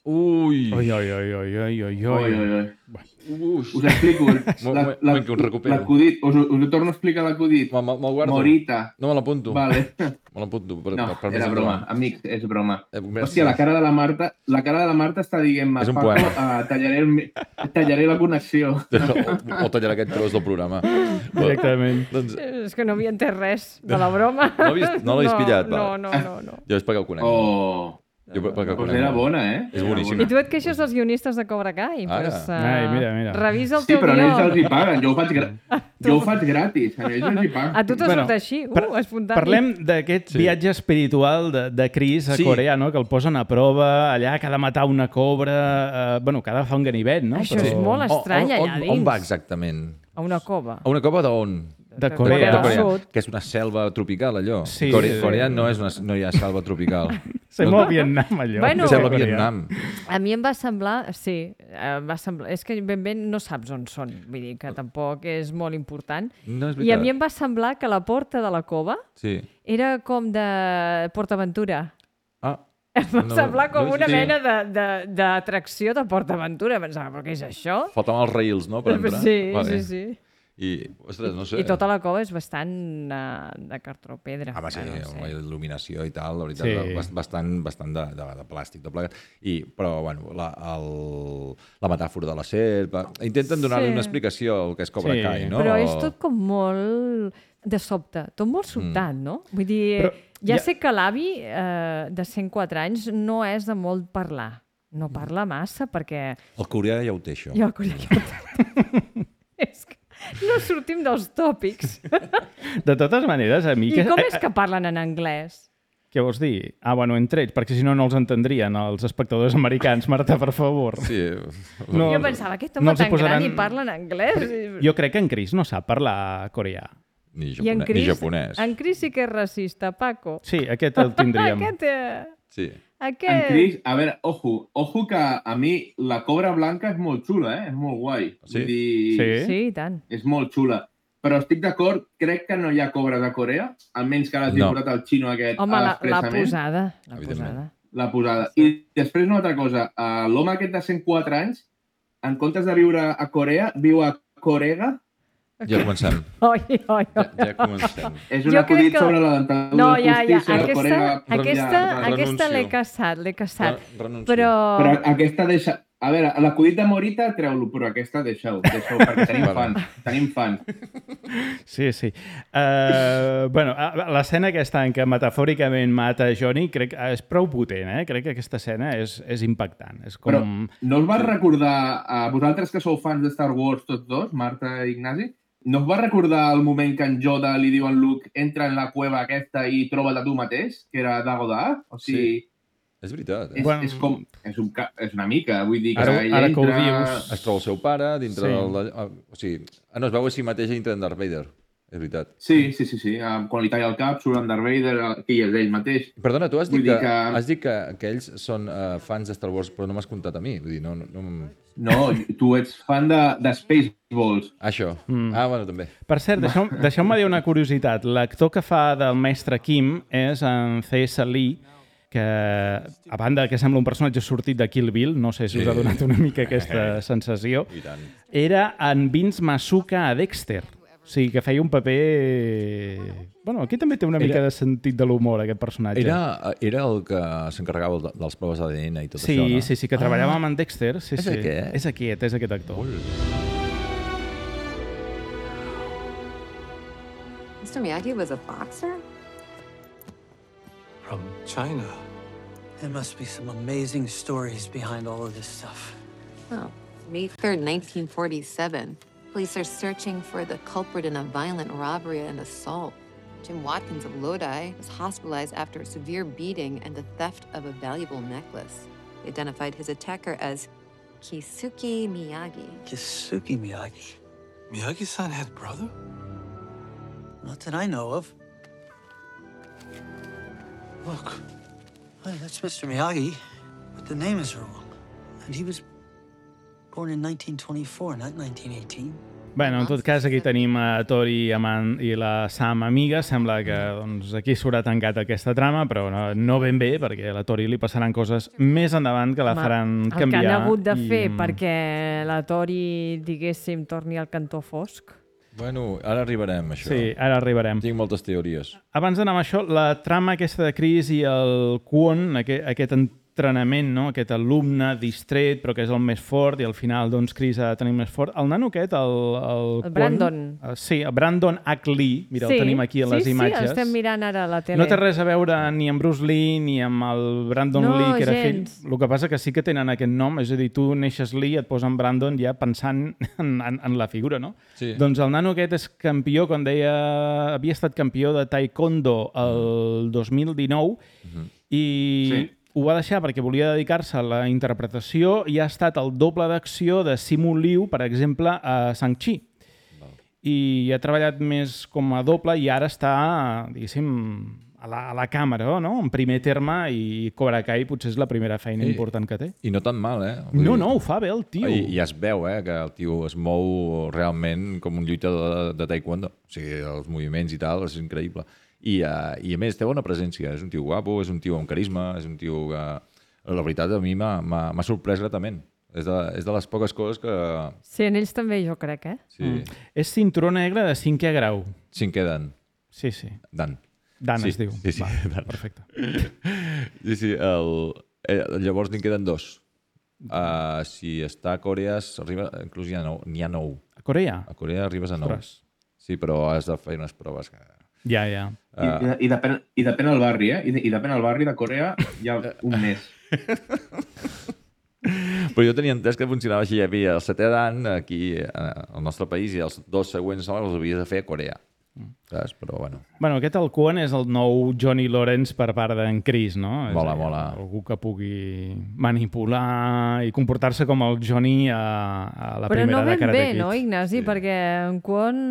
Ui!
Oi, oi, oi, oi, oi, oi,
Oi,
oi.
oi, oi.
Ui!
Us explico.
Mo-
La-
mo-
la-
moment que ho recupero.
L'acudit. Us, us ho torno a explicar l'acudit.
Me'l me, me guardo.
Morita.
No me l'apunto.
Vale.
Me l'apunto. Per,
No,
per, per
era
més
broma.
endavant.
Amics, és broma.
Eh,
Hòstia, la cara de la Marta, la cara de la Marta està dient-me,
És un
Paco,
poema.
uh, tallaré, el, mi- tallaré la connexió.
O, o tallarà aquest tros del programa.
Directament.
Doncs,
És que no havia entès res de la broma.
No l'havies- no l'havies
no,
pillat,
No,
va.
no, no, no.
jo és perquè el conec.
Oh,
Jo per- perquè el
doncs
conec.
era bona, eh?
És
Era
boníssim.
I tu et queixes dels guionistes de Cobra Kai?
Ara.
Pues, uh,
Ai, mira, mira.
Revisa el
Sí,
teu
però a ells els
guió.
hi paguen. Jo ho faig, gra... jo ho faig gratis. A ells els hi paguen.
A tu t'ha
Bueno,
sort així,
par-
uh, espontani.
Parlem d'aquest
Sí.
viatge espiritual de, de Chris a
Sí.
Corea, no? Que el posen a prova, allà que ha de matar una cobra, eh, bueno, que ha de fer un ganivet, no?
Això és molt estrany,
on,
allà
on,
dins.
on va exactament?
A una cova.
A una cova d'on?
De Corea.
del Sud.
Que és una selva tropical, allò.
Sí,
Corea,
sí.
Corea no, és una, no hi ha selva tropical.
Sembla Vietnam, allò.
Bueno,
de
Sembla
Corea.
Vietnam.
A mi em va semblar, sí, eh, va semblar, és que ben bé no saps on són, vull dir que tampoc és molt important.
No és
I a
veritat.
mi em va semblar que la porta de la cova
Sí.
era com de PortAventura.
Ah,
Em va
No,
semblar com
no,
una
sí.
mena de- de- d'atracció de, de PortAventura. Pensava, però què és això?
faltaven els rails, no?, per entrar.
Sí,
Vale.
sí, sí.
I, ostres, no sé.
I tota la cova és bastant uh, de cartró pedra.
Home, sí,
no
amb la
sé.
il·luminació i tal, la veritat,
Sí.
sí. bastant, bastant de, de, de plàstic, de plegat. I, però, bueno, la, el, la metàfora de la serp... Intenten donar-li
Sí.
una explicació al que és Cobra
Sí.
Kai, no?
Però és tot com molt de sobte, tot molt sobtat, mm. no? Vull dir,
Però
ja,
ja-
sé que l'avi eh, de cent quatre anys no és de molt parlar. No parla massa perquè...
El coreà ja ho té, això.
Jo, és que no sortim dels tòpics.
De totes maneres, a mi...
I com és que parlen en anglès?
Què vols dir? Ah, bueno, entre ells, perquè si no, no els entendrien, els espectadors americans. Marta, per favor.
Sí.
No,
Jo pensava, aquest home
no els hi
tan gran
posaran-
i parla en anglès.
Jo crec que en Chris no sap parlar coreà.
Ni,
I en
japonès, ni
Chris,
japonès.
en Chris sí que és racista, Paco.
Sí, aquest el tindríem.
aquest, eh,
Sí.
En
aquest...
Chris, a veure, ojo, ojo que a mi la cobra blanca és molt xula, eh? És molt guai.
Sí?
Vull dir,
Sí?
Sí, i tant.
és molt xula. però estic d'acord, crec que no hi ha cobres a Corea, almenys que l'has
No.
posat el xino aquest
Home,
a
la, la
l'expressament.
posada. La
Evidentment.
posada.
La posada. I després una altra cosa, uh, l'home aquest de cent quatre anys, en comptes de viure a Corea, viu a Corega.
Ja comencem.
Oi, oi, oi.
Ja, ja comencem.
És un
Jo
acudit
crec que-
sobre la dentadura
No, ja, ja.
postícia,
Aquesta,
Corega.
aquesta,
Ja,
aquesta l'he
renuncio.
caçat, l'he caçat.
Re- renuncio.
Però...
Però aquesta deixa... A veure, l'acudit de Morita, treu-lo, però aquesta deixa-ho, deixa-ho, perquè tenim
Vale.
fans, tenim fans.
Sí, sí. Uh, bueno, a- l'escena aquesta en què metafòricament mata Johnny crec que és prou potent, eh? Crec que aquesta escena és, és impactant. És com...
Però no us va recordar, a vosaltres que sou fans de Star Wars tots dos, Marta i Ignasi, no us va recordar el moment que en Yoda li diu a en Luke entra en la cueva aquesta i troba-la tu mateix, que era Dago Da? O sigui...
Sí. És veritat. Eh?
És,
Bueno.
és, com, és, un, ca- és una mica, vull dir que
Ara-
ella
ara que ho
entra...
dius-
Es troba el seu pare dintre
Sí.
sí. del... O sigui, ah, no, es veu a si mateix dintre en Darth Vader. És veritat.
Sí, sí, sí, sí. Ah, quan li talla el cap, surt en Darth Vader, que hi és ell mateix.
Perdona, tu has
Vull
dit,
dir
que,
que-
has dit que, que ells són uh, fans de Star Wars, però no m'has contat a mi. Vull dir, no... no, no...
No, tu ets fan de, de Spaceballs.
Això.
Mm.
Ah, bueno, també.
Per cert, deixeu- deixeu-me dir una curiositat. L'actor que fa del mestre Kim és en C S. Lee, que, a banda que sembla un personatge sortit de Kill Bill, no sé si us ha donat una mica aquesta sensació,
I tant.
era en Vince Masuka a Dexter. O sigui, que feia un paper... Bueno, aquí també té una
Era-
mica de sentit de l'humor, aquest personatge.
Era, era el que s'encarregava de, dels proves d'A D N i tot
Sí,
això, no?
sí, sí, que treballava amb en Dexter. Sí,
És
sí.
aquest?
És aquest, és aquest actor.
Mister Miyagi was a boxer?
From China.
There must be some amazing stories behind all of this stuff.
Oh, May third, nineteen forty-seven. Police are searching for the culprit in a violent robbery and assault. Jim Watkins of Lodi was hospitalized after a severe beating and the theft of a valuable necklace. They identified his attacker as Kisuke Miyagi.
Kisuke Miyagi.
Miyagi-san had brother?
Not that I know of.
Look,
Well, that's Mister Miyagi, but the name is wrong. And he was born in nineteen twenty-four, not nineteen eighteen.
Bueno, en tot cas, aquí tenim a Tori Aman i la Sam amiga. Sembla que doncs, aquí s'haurà tancat aquesta trama, però no, no ben bé, perquè a la Tori li passaran coses més endavant que la
Home,
faran
el
canviar.
que han hagut de
i-
fer perquè la Tori, diguéssim, torni al cantó fosc.
Bueno, ara arribarem a això.
Sí, ara arribarem.
Tinc moltes teories.
Abans d'anar amb això, la trama aquesta de Chris i el Kwon, aquest, aquest entrenament, no? Aquest alumne distret, però que és el més fort, i al final, doncs, Chris ha de tenir més fort. El nano aquest, el... El,
El
Kwon,
Brandon.
eh, sí, el Brandon H. Lee, mira, el tenim aquí a les
sí,
imatges.
Sí, estem mirant ara a la tele.
No té res a veure ni amb Bruce Lee ni amb el Brandon
No,
Lee, que era
gens.
fill. El que passa que sí que tenen aquest nom, és a dir, tu neixes Lee, et posen Brandon ja pensant en, en, en la figura, no?
Sí.
Doncs el nano aquest és campió, com deia, havia estat campió de taekwondo el dos mil dinou
Mhm.
i
Sí.
ho va deixar perquè volia dedicar-se a la interpretació i ha estat el doble d'acció de Simu Liu, per exemple, a Shang-Chi. I ha treballat més com a doble i ara està, diguéssim, a la, a la càmera, no? En primer terme, i Cobra Kai potser és la primera feina
I-
important que té.
I no tan mal, eh? Vull
No,
dir-
no, ho fa bé el tio.
I, I es veu, eh, que el tio es mou realment com un lluitador de, de taekwondo. O sigui, els moviments i tal, és increïble. I, uh, I a més, té bona presència. És un tio guapo, és un tio amb carisma, és un tio que... La veritat, a mi m'ha m'ha- m'ha sorprès gratament. És de, és de les poques coses que...
Sí, en ells també, jo crec, eh?
Sí,
Mm. És cinturó negre de cinquè grau.
cinquè dan.
Sí, sí.
Dan.
Dan
sí,
es diu.
Sí, sí,
Va,
Dan.
perfecte.
Sí, sí, el, eh, llavors n'hi queden dos. Uh, si està a Corea, arriba, inclús n'hi ha nou. N'hi ha nou.
A Corea?
A Corea arribes a nou.
Ostres.
Sí, però has de fer unes proves que...
Ja, ja.
I, i, i, depèn, I depèn del barri, eh? I, I depèn del barri de Corea, hi ha un mes.
Però jo tenia entès que funcionava així. Hi havia el setè dan aquí eh, al nostre país i els dos següents els havies de fer a Corea. Saps? Però bueno.
Bueno, aquest el Kwon és el nou Johnny Lawrence per part d'en Chris, no? És
Mola,
a dir,
mola.
Algú que pugui manipular i comportar-se com el Johnny a, a la
Però
primera
no
de
ben
Karate
bé,
Kid.
no, Ignasi? Perquè en Kwon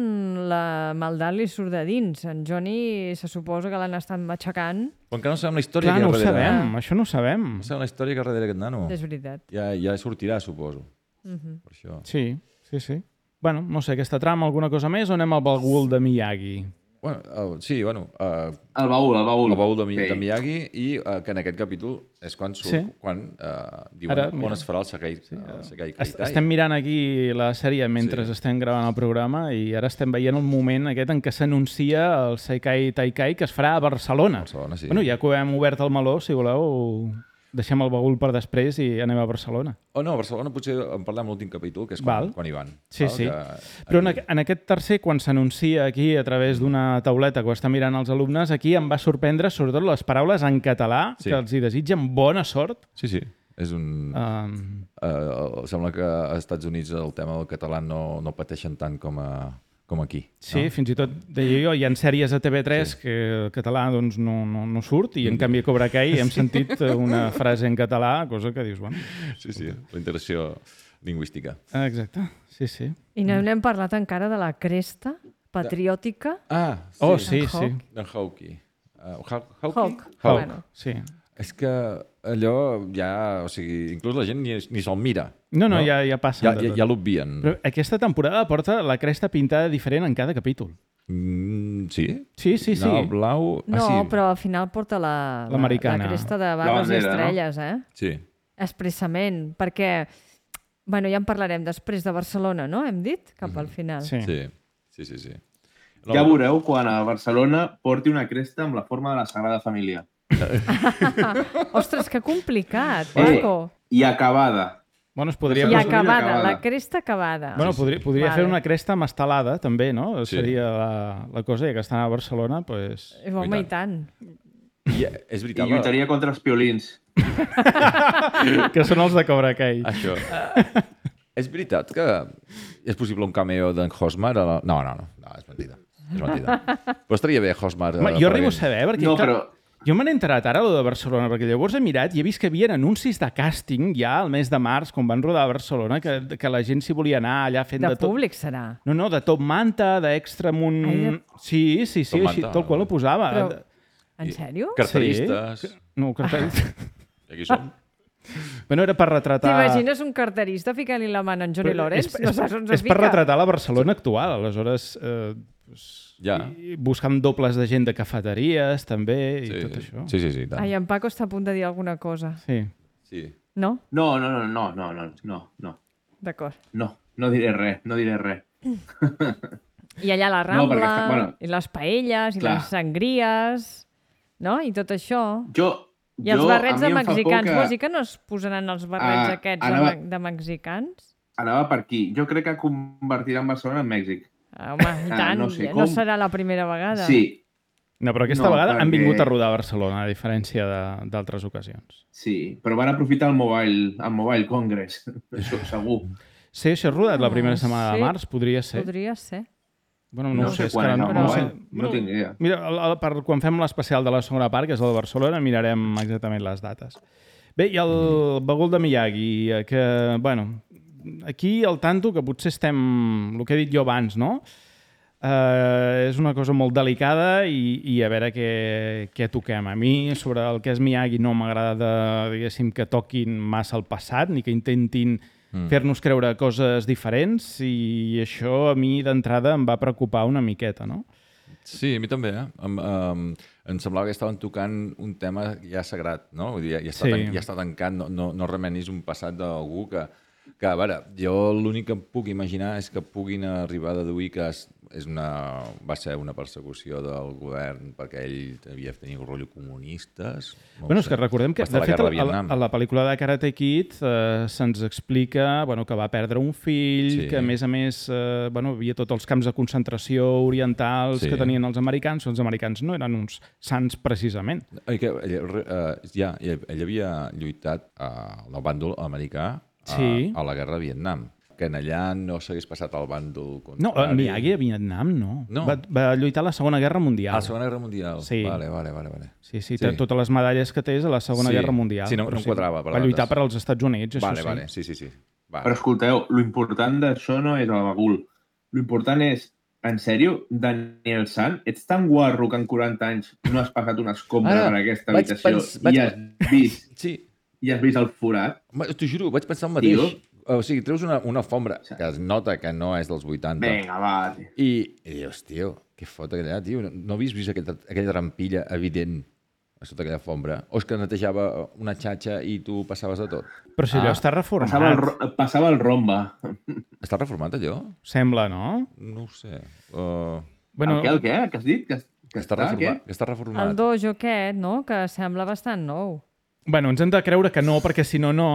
la maldat li surt de dins. En Johnny se suposa que l'han estat matxacant.
Però encara no sabem la història
Clar,
que hi
no
ha
ho
darrere.
sabem, això no ho sabem.
No sabem la història que hi ha darrere aquest nano.
És veritat.
Ja, ja sortirà, suposo.
Mhm.
Per això.
Sí, sí, sí. Bueno, no sé, aquesta trama, alguna cosa més, o anem al bagul de Miyagi?
Bueno, uh, sí, bueno... Uh,
el baúl, el baúl.
El baúl de,
sí.
de Miyagi i uh, que en aquest capítol és quan surt, sí. quan uh, diuen Ara, on es farà el Sekai, sí. el Sekai Kaitai.
Estem mirant aquí la sèrie mentre sí. estem gravant el programa i ara estem veient el moment aquest en què s'anuncia el Sekai Taikai que es farà a Barcelona.
Barcelona sí.
Bueno, ja que hem obert el meló, si voleu... Deixem el bagul per després i anem a Barcelona.
Oh, no, a Barcelona potser en parlem a l'últim capítol, que és quan, quan hi van.
Sí, val? sí. Que... Però en, en aquest tercer, quan s'anuncia aquí a través d'una tauleta que ho està mirant els alumnes, aquí em va sorprendre sobretot les paraules en català, sí. que els hi desitgen bona sort.
Sí, sí. És un... Um... Uh, sembla que als Estats Units el tema del català no, no pateixen tant com a... com aquí.
Sí, no? Fins i tot, deia jo, hi ha sèries a T V tres sí. que el català doncs, no, no, no surt i en canvi a Cobra Kai hem sentit una frase en català, cosa que dius, bueno...
Sí, sí, la interacció lingüística.
Exacte, sí, sí.
I no n'hem parlat encara de la cresta patriòtica.
Ah, sí.
Oh, sí, sí.
D'en Hawkeye. Uh, Hawkeye?
Hawk.
Hawk, bueno. sí.
És que allò ja... O sigui, inclús la gent ni, ni se'l mira.
No, no, no? Ja, ja passa.
Ja, ja, ja l'obvien.
Però aquesta temporada porta la cresta pintada diferent en cada capítol.
Mm, sí?
Sí, sí, sí.
No, blau...
No,
ah, sí.
però al final porta la, la, la cresta de barres i estrelles, no? eh?
Sí.
Expressament, perquè... Bueno, ja en parlarem després de Barcelona, no? Hem dit? Cap al final.
Sí, sí, sí. sí, sí.
No, ja veureu quan a Barcelona porti una cresta amb la forma de la Sagrada Família.
Ostres, que complicat,
eh,
Paco.
I acabada.
Bueno, es podria...
I acabada, acabada, la cresta acabada.
Bueno, podria, podria
vale.
fer una cresta amb estelada, també, no?
Sí.
Seria la, la cosa, ja que estan a Barcelona, doncs...
Pues... Home, i tant.
I, és veritat,
I lluitaria la... contra els piolins.
que són els de Cobra Kai.
Això. És veritat que és possible un cameo d'en Hosmar? A la... No, no, no, no, és mentida. És mentida. Però estaria bé Hosmar...
Ma, jo arribo a saber, perquè...
No, però...
Jo me n'he enterat ara, lo de Barcelona, perquè llavors he mirat i he vist que hi havia anuncis de càsting ja al mes de març, quan van rodar a Barcelona, que, que la gent s'hi volia anar allà fent de,
de tot. De públic serà?
No, no, de top manta, d'extra amb un... Ai, de... Sí, sí, sí, així, tal qual ho posava.
Però... En sèrio?
Carteristes.
Sí. No, carteristes.
I aquí som.
Bueno, era per retratar...
T'imagines un carterista ficant-li la mà en Johnny Lawrence?
És, és,
no saps on
és per retratar la Barcelona actual, aleshores... Eh, pues,
ja.
Buscant dobles de gent de cafeteries, també, i
sí,
tot això.
Sí, sí, sí. Tant.
Ai, en Paco està a punt de dir alguna cosa.
Sí.
Sí.
No?
No, no, no, no, no, no, no, no.
D'acord.
No, no diré res, no diré res.
I allà la Rambla, no, està, bueno, i les paelles, i
clar.
les sangries, no? I tot això.
Jo...
I els
jo,
barrets de mexicans.
que...
Vols dir que no es posaran els barrets ah, aquests anava... de, de mexicans?
Anava per aquí. Jo crec que convertiran Barcelona en Mèxic.
Ah, home, i tant. Ah, no, sé no serà la primera vegada.
Sí.
No, però aquesta no, vegada perquè... han vingut a rodar a Barcelona, a diferència d'altres ocasions.
Sí, però van aprofitar el Mobile, el Mobile Congress, això segur.
Sí, això és rodat la primera setmana
sí,
de març, podria ser.
Podria ser.
Bueno, no, no sé,
sé quan,
no,
no,
no, sé.
no, no tinc idea.
Mira, el, el, per, quan fem l'especial de la segona part, que és el de Barcelona, mirarem exactament les dates. Bé, i el mm. bagul de Miyagi, que, bueno, aquí el tanto, que potser estem, el que he dit jo abans, no? Uh, és una cosa molt delicada i, i a veure què, què toquem. A mi, sobre el que és Miyagi, no m'agrada, diguéssim, que toquin massa el passat, ni que intentin mm. fer-nos creure coses diferents, i això a mi d'entrada em va preocupar una miqueta, no?
Sí, a mi també. Eh? Em, um, em semblava que estaven tocant un tema ja sagrat, no? Vull dir, ja, ja, està, sí. tan, ja està tancat, no, no, no remenis un passat d'algú que, que, a veure, jo l'únic que em puc imaginar és que puguin arribar a deduir que és, és una, va ser una persecució del govern perquè ell havia tenir un rotllo comunistes. No
bueno, és que recordem que, de fet, a la, a la pel·lícula de Karate Kid eh, se'ns explica bueno, que va perdre un fill, sí. que a més a més eh, bueno, havia tots els camps de concentració orientals sí. que tenien els americans, els americans no eren uns sants precisament.
Que, ell, eh, ja, ell, ell havia lluitat al eh, bàndol americà a,
sí.
a la guerra de Vietnam. Que en allà no s'hagués passat al bàndol contrari.
No, en Miyagi a Vietnam no.
no.
Va, va lluitar a la Segona Guerra Mundial.
A la Segona Guerra Mundial?
Sí.
Vale, vale, vale. vale.
Sí, sí, sí, totes les medalles que té és a la Segona
sí.
Guerra Mundial.
Sí, no, no em quadrava.
Va lluitar per als Estats Units,
vale,
això
vale. sí. Vale, sí, sí, sí. Vale.
Però escolteu, l'important d'això no és el bagul. L'important és, en sèrio, Daniel San, ets tan guarro que en quaranta anys no has passat una escombra per aquesta habitació pens... i has vist...
sí.
I has vist el forat?
T'ho juro, vaig pensar el mateix. Tio. o sigui, treus una, una alfombra que es nota que no és dels vuitanta.
Vinga, va, tio.
I, i dius, tio, què fot allà, tio? No havies vist aquella, aquella trampilla evident a sota aquella alfombra? O és que netejava una xatxa i tu passaves de tot?
Però si allò està reformat.
Passava el, passava el romba.
Està reformat, allò?
Sembla, no?
No ho sé. Uh...
Bueno, el què, el què? Què has dit? Que,
que, està, està, reformat, que està reformat.
El dojo aquest, no? Que sembla bastant nou.
Bueno, ens hem de creure que no, perquè si no, no...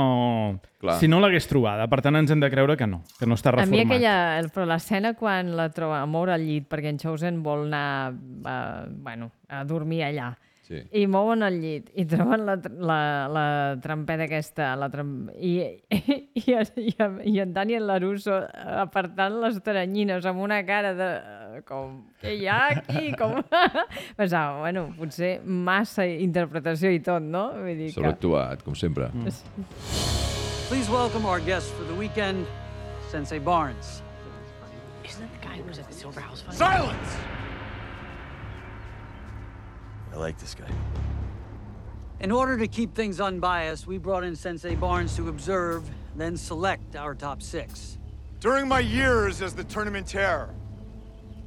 Clar.
Si no l'hagués trobada. Per tant, ens hem de creure que no, que no està reformat.
A mi aquella... Però l'escena quan la troba a moure al llit, perquè en Chosen vol anar a, bueno, a dormir allà,
sí.
I mouen el llit, i troben la, la, la trampeta aquesta, la tram... I, i, i, i, i en Daniel LaRusso apartant les teranyines amb una cara de... com, què hi ha aquí? Com... Pensava, bueno, potser massa interpretació i tot, no? Vull dir que...
Sobreactuat, com sempre.
Mm. Please welcome our guest for the weekend, Sensei Barnes.
Isn't that the guy who was at the Silver House Fund?
Silence! I like this guy.
In order to keep things unbiased, we brought in Sensei Barnes to observe, then select our top six.
During my years as the tournamentaire,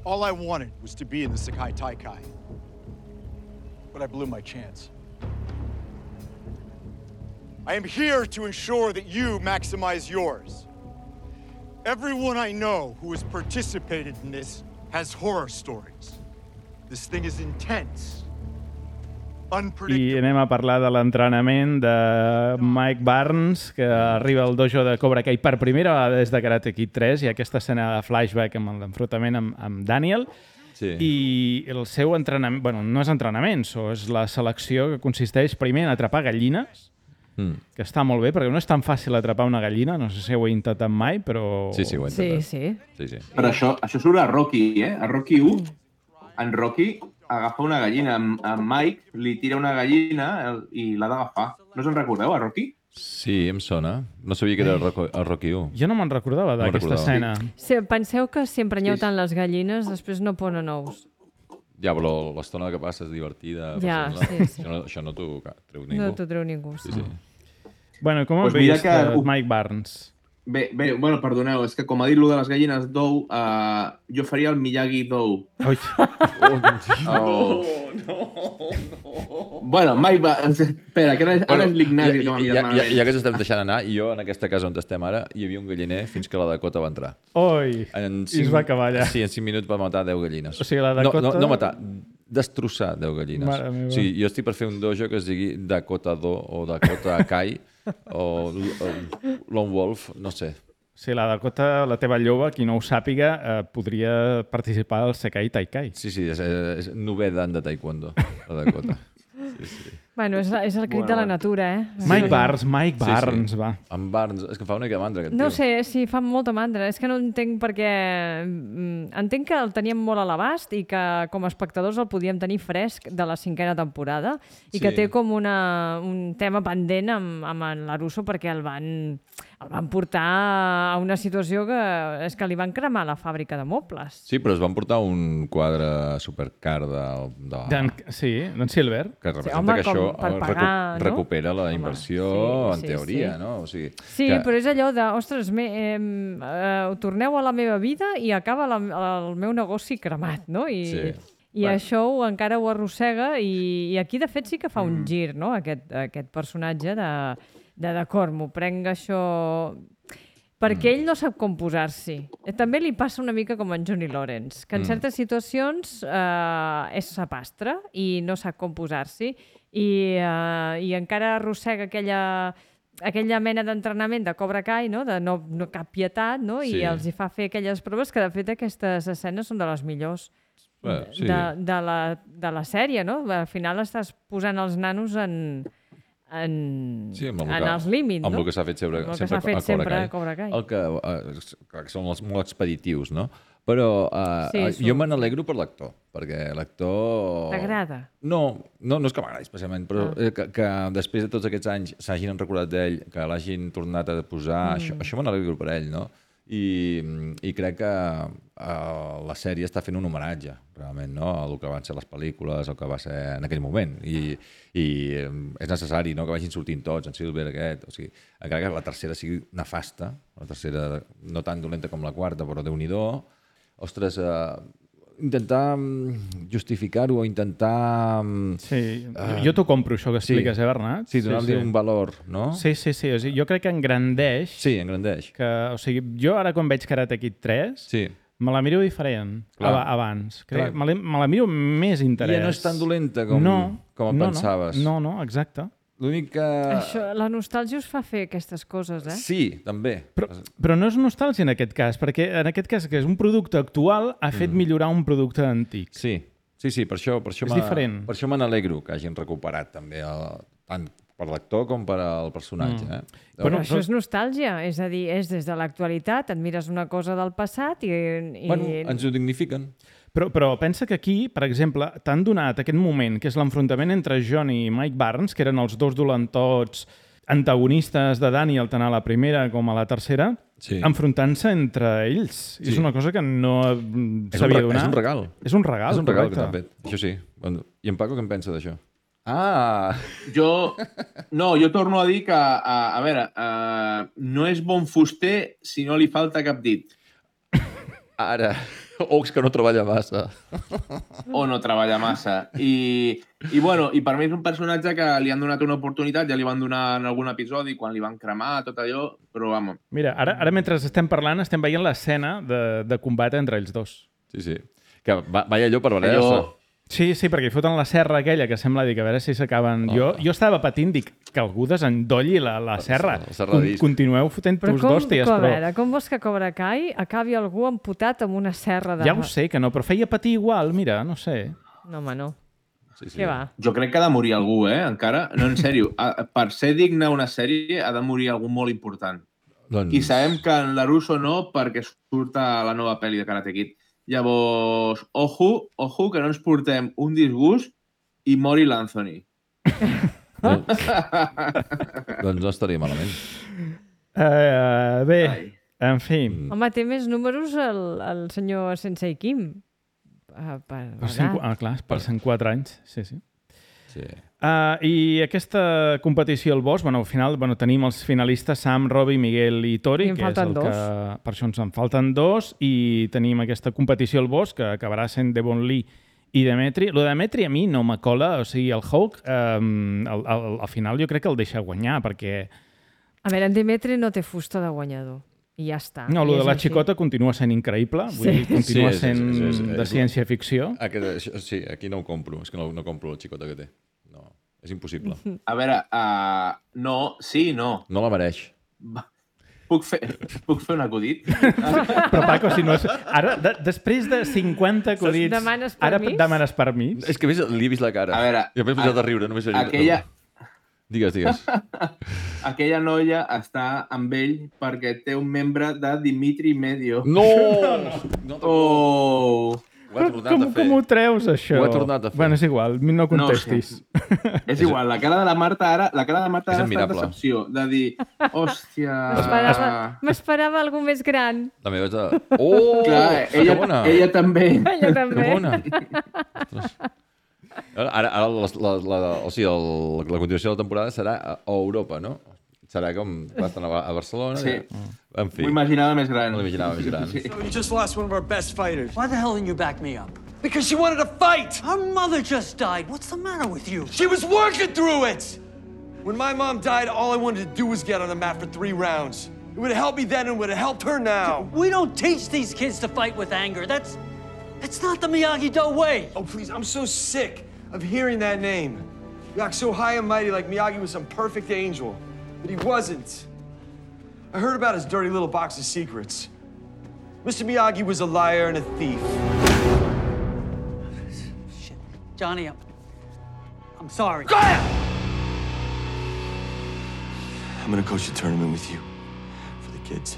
all I wanted was to be in the Sekai Taikai. But I blew my chance. I am here to ensure that you maximize yours. Everyone I know who has participated in this has horror stories. This thing is intense.
I anem a parlar de l'entrenament de Mike Barnes, que arriba al dojo de Cobra Kai per primera vegada des de Karate Kid tres, i aquesta escena de flashback amb l'enfrontament amb, amb Daniel.
Sí.
I el seu entrenament... Bueno, no és entrenament, so, és la selecció que consisteix primer en atrapar gallines, mm. que està molt bé, perquè no és tan fàcil atrapar una gallina, no sé si ho he intentat mai, però...
Sí, sí, ho he intentat.
Sí, sí.
sí, sí.
Però això, això surt a Rocky, eh? A Rocky u, en Rocky agafa una gallina, en Mike li tira una gallina i l'ha d'agafar. No se'n recordeu, a Rocky?
Sí, em sona. No sabia que era el Rocky u.
Jo no me'n recordava d'aquesta
no
escena.
Sí, penseu que si emprenyeu sí. tant les gallines, després no ponen ous.
Ja, però l'estona que passa és divertida.
Ja,
no?
sí, sí.
Això no, això no t'ho treu ningú.
No t'ho treu ningú.
Sí, sí.
Bueno, com
pues
han vist
que...
uh, Mike Barnes?
Bé, bé, bueno, perdoneu, és que com ha dit lo de les gallines d'ou, uh, jo faria el Miyagi d'ou.
Ui.
Oh, no, no, no. Bueno, Mike va... Espera, que ara, ara és l'Ignasi que m'ha mirat malament.
Ja, ja que ens estem deixant anar, i jo en aquesta casa on estem ara, hi havia un galliner fins que la Dakota va entrar.
Oi,
en
cinc... i es va acabar allà.
Sí, en cinc minuts va matar deu gallines.
O sigui, la Dakota...
No, no, no matar, destrossar deu gallines.
Mare meva.
O sigui, jo estic per fer un dojo que es digui Dakota Do o Dakota Kai o, o Lone Wolf, no sé.
Sí, la Dakota, la teva lloba, qui no ho sàpiga, eh, podria participar al Sekai Taikai.
Sí, sí, és, és nové dan de taekwondo, la Dakota. Sí, sí.
Bueno, és, és el crit bueno, de la natura, eh?
Mike sí. Barnes, Mike Barnes, sí, sí. va.
En Barnes, és que fa una mica mandra, aquest
no
tio.
sé, sí, fa molta mandra. És que no entenc perquè... Entenc que el teníem molt a l'abast i que com a espectadors el podíem tenir fresc de la cinquena temporada i sí. que té com una, un tema pendent amb, amb en LaRusso perquè el van, el van portar a una situació que és que li van cremar la fàbrica de mobles.
Sí, però es van portar un quadre supercar de... de...
Den, sí, d'en Silver.
Que representa
sí, home,
que això
per pagar,
recu recupera no? la inversió, home, sí, en teoria,
sí.
no? O sigui,
sí,
que...
però és allò de, ostres, me, eh, eh, torneu a la meva vida i acaba la, el meu negoci cremat, no? I,
sí.
i
bueno.
això ho, encara ho arrossega i, i aquí, de fet, sí que fa un mm. gir, no?, aquest, aquest personatge de, de d'acord, m'ho prenc això... Perquè ell no sap com posar-s'hi. També li passa una mica com en Johnny Lawrence, que en certes situacions eh, és sapastre i no sap com posar-s'hi i, eh, i encara arrossega aquella, aquella mena d'entrenament de Cobra Kai, no? De no, no cap pietat, no? I
sí.
els hi fa fer aquelles proves que, de fet, aquestes escenes són de les millors
bueno, sí.
de, de, la, de la sèrie, no? Al final estàs posant els nanos en... en,
sí, en
que, els límits, no?
Amb el que s'ha fet sempre,
el
sempre,
fet
a, Cobra
sempre
Kai.
a Cobra Kai.
El que, uh, clar, que són els, molt expeditius, no? Però uh,
sí,
uh, jo me n'alegro per l'actor, perquè l'actor...
T'agrada?
No, no, no és que m'agradi especialment, però ah. que, que després de tots aquests anys s'hagin recordat d'ell, que l'hagin tornat a posar, mm. això, això me n'alegro per ell, no? i, i crec que uh, la sèrie està fent un homenatge, realment, no? A el que van ser les pel·lícules, el que va ser en aquell moment. I, i és necessari, no?, que vagin sortint tots, en Silver, aquest... O sigui, encara que la tercera sigui nefasta, la tercera no tan dolenta com la quarta, però Déu-n'hi-do. Ostres, uh, intentar justificar-ho o intentar...
Sí, uh, jo t'ho compro, això que expliques,
sí.
eh, Bernat?
Sí, donar-li sí, sí. un valor, no?
Sí, sí, sí. O sigui, jo crec que engrandeix...
Sí, engrandeix.
Que, o sigui, jo ara quan veig Karate Kid tres, sí. me la miro diferent Clar. abans. Crec, me, la, me la miro més interès.
I no és tan dolenta com,
no,
com
no,
pensaves.
No, no, exacte.
L'únic que...
Això, la nostàlgia us fa fer aquestes coses, eh?
Sí, també.
Però, però no és nostàlgia en aquest cas, perquè en aquest cas que és un producte actual ha fet mm. millorar un producte antic.
Sí, sí, sí, per això, per això
és diferent.
Per això me n'alegro que hagin recuperat també el, tant per l'actor com per al personatge. Mm. Eh?
Però bueno, això és nostàlgia, és a dir, és des de l'actualitat, et mires una cosa del passat i... i...
Bueno, ens ho dignifiquen.
Però, però pensa que aquí, per exemple, t'han donat aquest moment, que és l'enfrontament entre John i Mike Barnes, que eren els dos dolentots antagonistes de Daniel, tant a la primera com a la tercera, sí. enfrontant-se entre ells. Sí. És una cosa que no s'havia donat.
És un regal.
És un regal,
És un regal
correcte.
que t'han fet, això sí. I en Paco què en pensa d'això? Ah!
Jo, no, jo torno a dir que, a, a veure, uh, no és bon fuster si no li falta cap dit.
Ara... O és que no treballa massa.
O no treballa massa. I, i, bueno, i per mi és un personatge que li han donat una oportunitat, ja li van donar en algun episodi, quan li van cremar, tot allò, però, vamos.
Mira, ara, ara mentre estem parlant, estem veient l'escena de, de combat entre ells dos.
Sí, sí. Que va, va allò per valer-se.
Allò... Sí, sí, perquè hi foten la serra aquella que sembla dir que a veure si s'acaben... Oh. Jo, jo estava patint, dic, que algú desendolli la, la serra. La serra Con, continueu fotent-vos d'hòsties,
però...
però...
A veure, com vols que Cobra Kai acabi algú amputat amb una serra de...
Ja ho sé, que no, però feia patir igual, mira, no sé.
No, home, no.
Sí, sí.
Què va?
Jo crec que ha de morir algú, eh, encara. No, en sèrio, per ser digne una sèrie ha de morir algú molt important. Doncs... I sabem que en LaRusso no, perquè surt a la nova pel·li de Karate Kid. Llavors, ojo, ojo, que no ens portem un disgust i mori l'Anthony.
doncs, doncs no estaria malament.
Uh, bé, Ai. en fi.
Home, té més números el, el senyor Sensei Kim. Uh, per,
per cent, ah, clar, per cent quatre anys, sí, sí.
Sí.
Uh, I aquesta competició al Bosch, bueno, al final bueno, tenim els finalistes Sam, Robbie, Miguel i Tori,
I
que és el
dos.
que... Per això ens en falten dos, i tenim aquesta competició al Bosch, que acabarà sent Devon Lee i Demetri. Lo de Demetri a mi no me cola, o sigui, el Hawk, um, al, al, al final jo crec que el deixa guanyar, perquè...
A veure, en Demetri no té fusta de guanyador. I ja està.
No, el de la
així.
xicota continua sent increïble, vull
sí.
dir, continua
sí,
sent
sí, sí, sí, sí.
de ciència-ficció.
Aquest, sí, aquí no ho compro, és que no, no compro la xicota que té. No, és impossible.
A veure, uh, no, sí, no.
No la mereix.
Puc fer, puc fer un acudit?
Però, Paco, si no és... Ara, de, després de cinquanta acudits...
Demanes
ara
permís?
demanes permís?
És que li he vist la cara.
A veure...
I m'he posat a riure, només he
aquella...
Digues, digues.
Aquella noia està amb ell perquè té un membre de Dimitri Medio.
No! no
oh!
Ho ha tornat
com,
a fer.
Com ho treus, això?
Ho ha tornat a fer.
Bueno, és igual, no contestis.
No, sí. És igual, la cara de la Marta ara, la cara de Marta
és
ara està de decepció, de dir, hòstia...
M'esperava algú més gran.
La meva és de... Oh!
Clar, ella, ella també.
Ella també.
Que bona. Ara, ara la, la, la, o sigui, el, la continuació de la temporada serà a Europa, no? Serà com bastant a, a Barcelona.
Sí.
Ja. En fi.
M'ho imaginava més gran.
M'ho imaginava més gran.
Sí.
So you just lost one of our best fighters.
Why the hell didn't you back me up?
Because she wanted to fight!
Our mother just died. What's the matter with you?
She was working through it! When my mom died, all I wanted to do was get on the mat for three rounds. It would have helped me then and would have helped her now.
We don't teach these kids to fight with anger. That's... That's not the Miyagi-Do way.
Oh, please, I'm so sick of hearing that name. You act so high and mighty like Miyagi was some perfect angel. But he wasn't. I heard about his dirty little box of secrets. Mister Miyagi was a liar and a thief.
Shit. Johnny, I'm... I'm sorry.
Go ahead! I'm gonna coach a tournament with you. For the kids.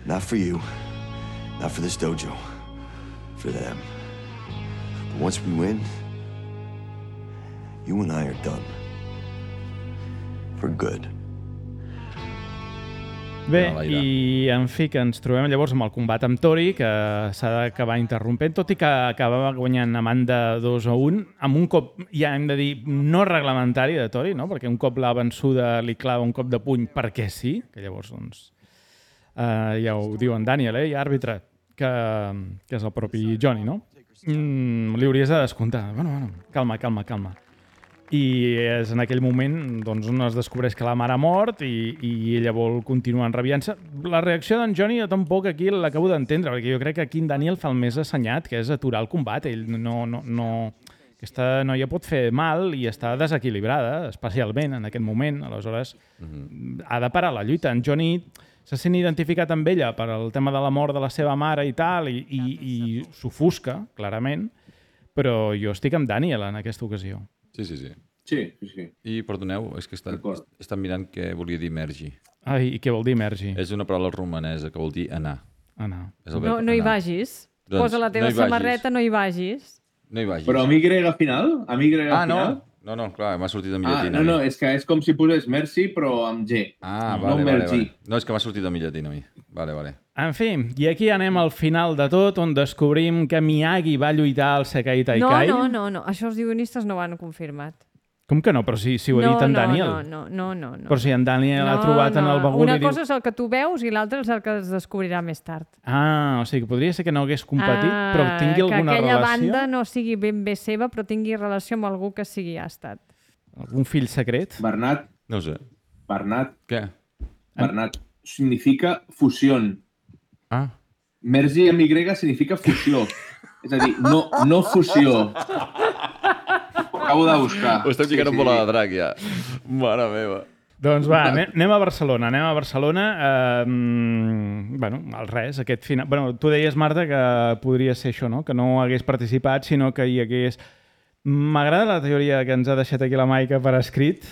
Not for you. Not for this dojo. For them. But once we win, you and I are done. For good.
Bé, i en fi, que ens trobem llavors amb el combat amb Tori, que s'ha d'acabar interrompent, tot i que acabava guanyant Amanda dos a un, amb un cop, ja hem de dir, no reglamentari de Tori, no? Perquè un cop l'ha vençuda li clava un cop de puny perquè sí, que llavors, doncs, eh, ja ho diu en Daniel, eh, i àrbitre, que, que és el propi Johnny, no? Mm, li hauries de descomptar. Bueno, bueno, calma, calma, calma. I és en aquell moment doncs, on es descobreix que la mare ha mort i, i ella vol continuar enrabiant-se. La reacció d'en Johnny jo tampoc aquí l'acabo d'entendre, perquè jo crec que aquí en Daniel fa el més assenyat, que és aturar el combat. Ell no, no, no... Aquesta noia pot fer mal i està desequilibrada, especialment en aquest moment. Aleshores, mm-hmm. ha de parar la lluita. En Johnny se sent identificat amb ella per al tema de la mort de la seva mare i tal, i, i, i s'ofusca, clarament, però jo estic amb Daniel en aquesta ocasió.
Sí, sí, sí.
Sí, sí, sí.
I, perdoneu, és que està, està mirant què volia dir mergi.
Ai, i què vol dir mergi?
És una paraula romanesa que vol dir anar.
Anar.
No, no hi vagis.
Doncs,
Posa la teva
no
samarreta, no hi vagis.
No hi vagis.
Però amb Y final? Amb Y
ah,
final?
no. No, no, clar, m'ha sortit en mi
ah,
llatina.
No, no, és que és com si posés merci, però amb G.
Ah,
no,
vale,
no
vale, vale. No, és que m'ha sortit en mi llatina a mi. Vale, vale.
En fi, i aquí anem al final de tot, on descobrim que Miyagi va lluitar al Sekai Taikai.
No, no, no, no. Això els guionistes no ho han confirmat.
Com que no? Però si, si ho ha
no,
dit en
no,
Daniel.
No, no, no, no, no.
Però si en Daniel
no,
ha trobat
no.
en el bagul
Una
i diu...
cosa és el que tu veus i l'altra és el que es descobrirà més tard.
Ah, o sigui que podria ser que no hagués competit,
ah,
però tingui alguna relació...
Que aquella banda no sigui ben bé seva, però tingui relació amb algú que sigui ha estat.
Algun fill secret?
Bernat.
No sé.
Bernat.
Què?
Bernat. Significa fusión.
Ah.
Mergi amb Y significa fusió. És a dir, no, no fusió. Ho acabo de buscar.
Ho estem ficant sí, en bola sí. de drac, ja. Mare meva.
Doncs va, anem a Barcelona. Anem a Barcelona. Eh, bueno, al res, aquest final... Bueno, tu deies, Marta, que podria ser això, no? Que no hagués participat, sinó que hi hagués... M'agrada la teoria que ens ha deixat aquí la Maica per escrit.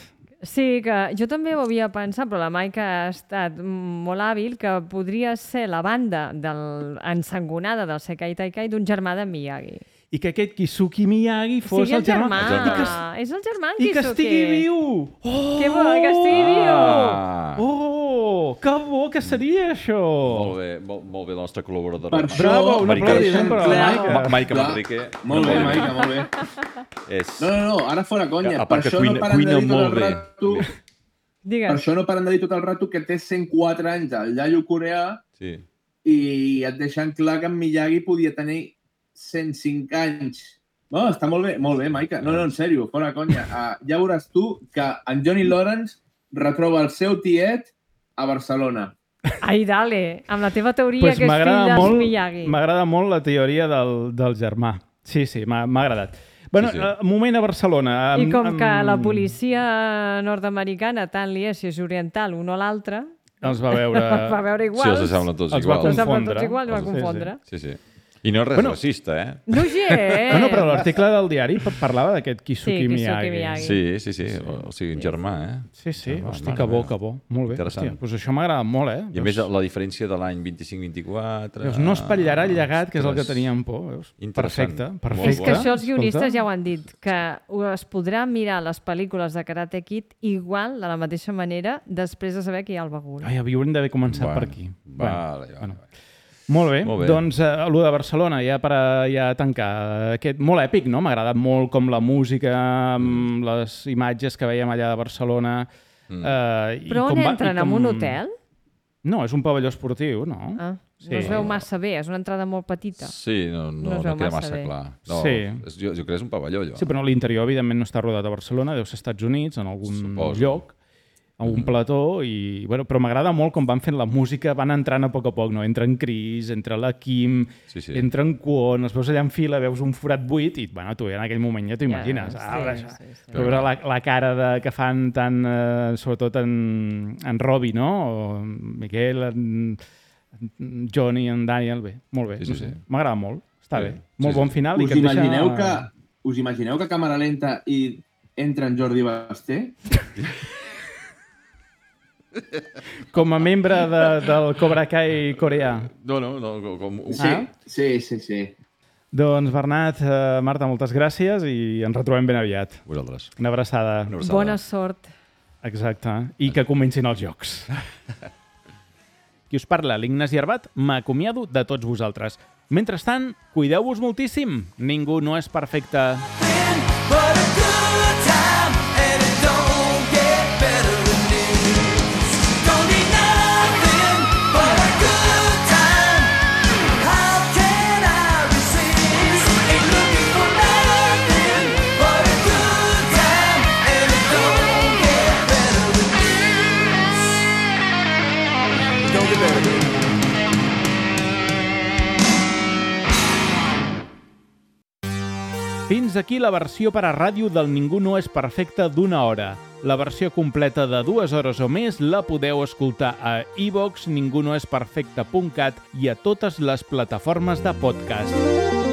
Sí, que jo també ho havia pensat, però la Maica ha estat molt hàbil, que podria ser la banda del, ensangonada del Sekai Taikai d'un germà de Miyagi.
I que aquest Kisuki Miyagi fos
sí, el,
el germà.
germà. El germà. Que, és el germà en
I
Kisuki.
que estigui viu!
Oh! Que bo, que estigui viu!
Ah. Oh! Que bo que seria això!
Molt bé, molt, molt bé la nostra col·laboradora.
Per això,
bravo, un aplaudiment per la Maica.
Maica Manrique.
Molt bé, Maica, molt bé.
És...
No, no, no, ara fora conya.
A part
per
que
això
cuina,
no paren
cuina
de dir tot
molt
el
bé.
rato...
Digues.
Per això no paren de dir tot el rato que té cent quatre anys el iaio coreà
sí.
i et deixen clar que en Miyagi podia tenir cent cinc anys. No, està molt bé, molt bé, Maica. No, no, en sèrio, fora conya. Uh, ja veuràs tu que en Johnny Lawrence retroba el seu tiet a Barcelona.
Ai, dale, amb la teva teoria
pues
que és fill dels
molt,
Miyagi.
M'agrada molt la teoria del, del germà. Sí, sí, m'ha agradat. Bueno, sí, sí. Uh, moment a Barcelona.
I com amb... que la policia nord-americana, tant li és si és oriental un o l'altre,
els va veure...
els va veure iguals.
Sí, els semblen tots
els
iguals.
Els va confondre.
Tots iguals, els va confondre.
Sí, sí. I no és res bueno, racista, eh?
No gens!
Bueno, però l'article del diari parlava d'aquest Kisuki,
sí,
Miyagi.
Miyagi.
Sí, sí, sí. O, o sigui, un germà, eh?
Sí, sí.
Germà,
Hosti, que bo, que bo. Molt bé. Hòstia, doncs això m'agrada molt, eh?
I a més, la diferència de l'any vint-i-cinc vint-i-quatre...
Veus, no espatllarà el llegat, que és el que teníem por, veus? Perfecte, perfecte.
És que això els guionistes ja ho han dit, que es podrà mirar les pel·lícules de Karate Kid igual, de la mateixa manera, després de saber que hi ha el bagul.
Ai, haurem d'haver començat
bueno,
per aquí.
Vale,
bueno.
vale.
Molt bé.
molt bé,
doncs uh, allò de Barcelona, ja per a, ja tancar, aquest, molt èpic, no? M'ha agradat molt com la música, mm. les imatges que veiem allà de Barcelona. Mm. Uh, i
Però on
com
entren?
va, com...
En un hotel?
No, és un pavelló esportiu, no?
Ah,
sí.
No es veu massa bé, és una entrada molt petita.
Sí, no, no, no, no queda massa, massa clar. No,
sí.
és, jo, jo crec que és un pavelló, allò.
Sí, però l'interior, evidentment, no està rodat a Barcelona, deu ser als Estats Units, en algun
Suposo.
lloc, a un plató, i, bueno, però m'agrada molt com van fent la música, van entrant a poc a poc, no? Entra en Chris, entra la Kim,
sí, sí.
entra en Kwon, els veus allà en fila, veus un forat buit, i bueno, tu en aquell moment ja t'ho imagines.
Ja,
ah,
sí, sí, sí.
Veure la, la cara de, que fan tant, eh, sobretot en, en Robbie, no? O Miquel, en, en Johnny, en Daniel, bé, molt bé.
Sí, sí,
no sé.
sí.
M'agrada molt, està sí, bé. Molt
sí,
bon final.
Us,
I que
imagineu
deixa...
que, us imagineu que a càmera lenta i entra en Jordi Basté?
Com a membre de, del Cobra Kai coreà.
No, no, no. Com...
Sí, ah? sí, sí, sí.
Doncs Bernat, eh, Marta, moltes gràcies i ens retrobem ben aviat.
Vosaltres.
Una abraçada.
Una abraçada.
Bona sort.
Exacte. I que comencin els jocs. Qui us parla, l'Ignasi Arbat, m'acomiado de tots vosaltres. Mentrestant, cuideu-vos moltíssim. Ningú no és perfecte. Fins aquí la versió per a ràdio del Ningú no és perfecte d'una hora. La versió completa de dues hores o més la podeu escoltar a iVox, ningunoesperfecte punt cat i a totes les plataformes de podcast.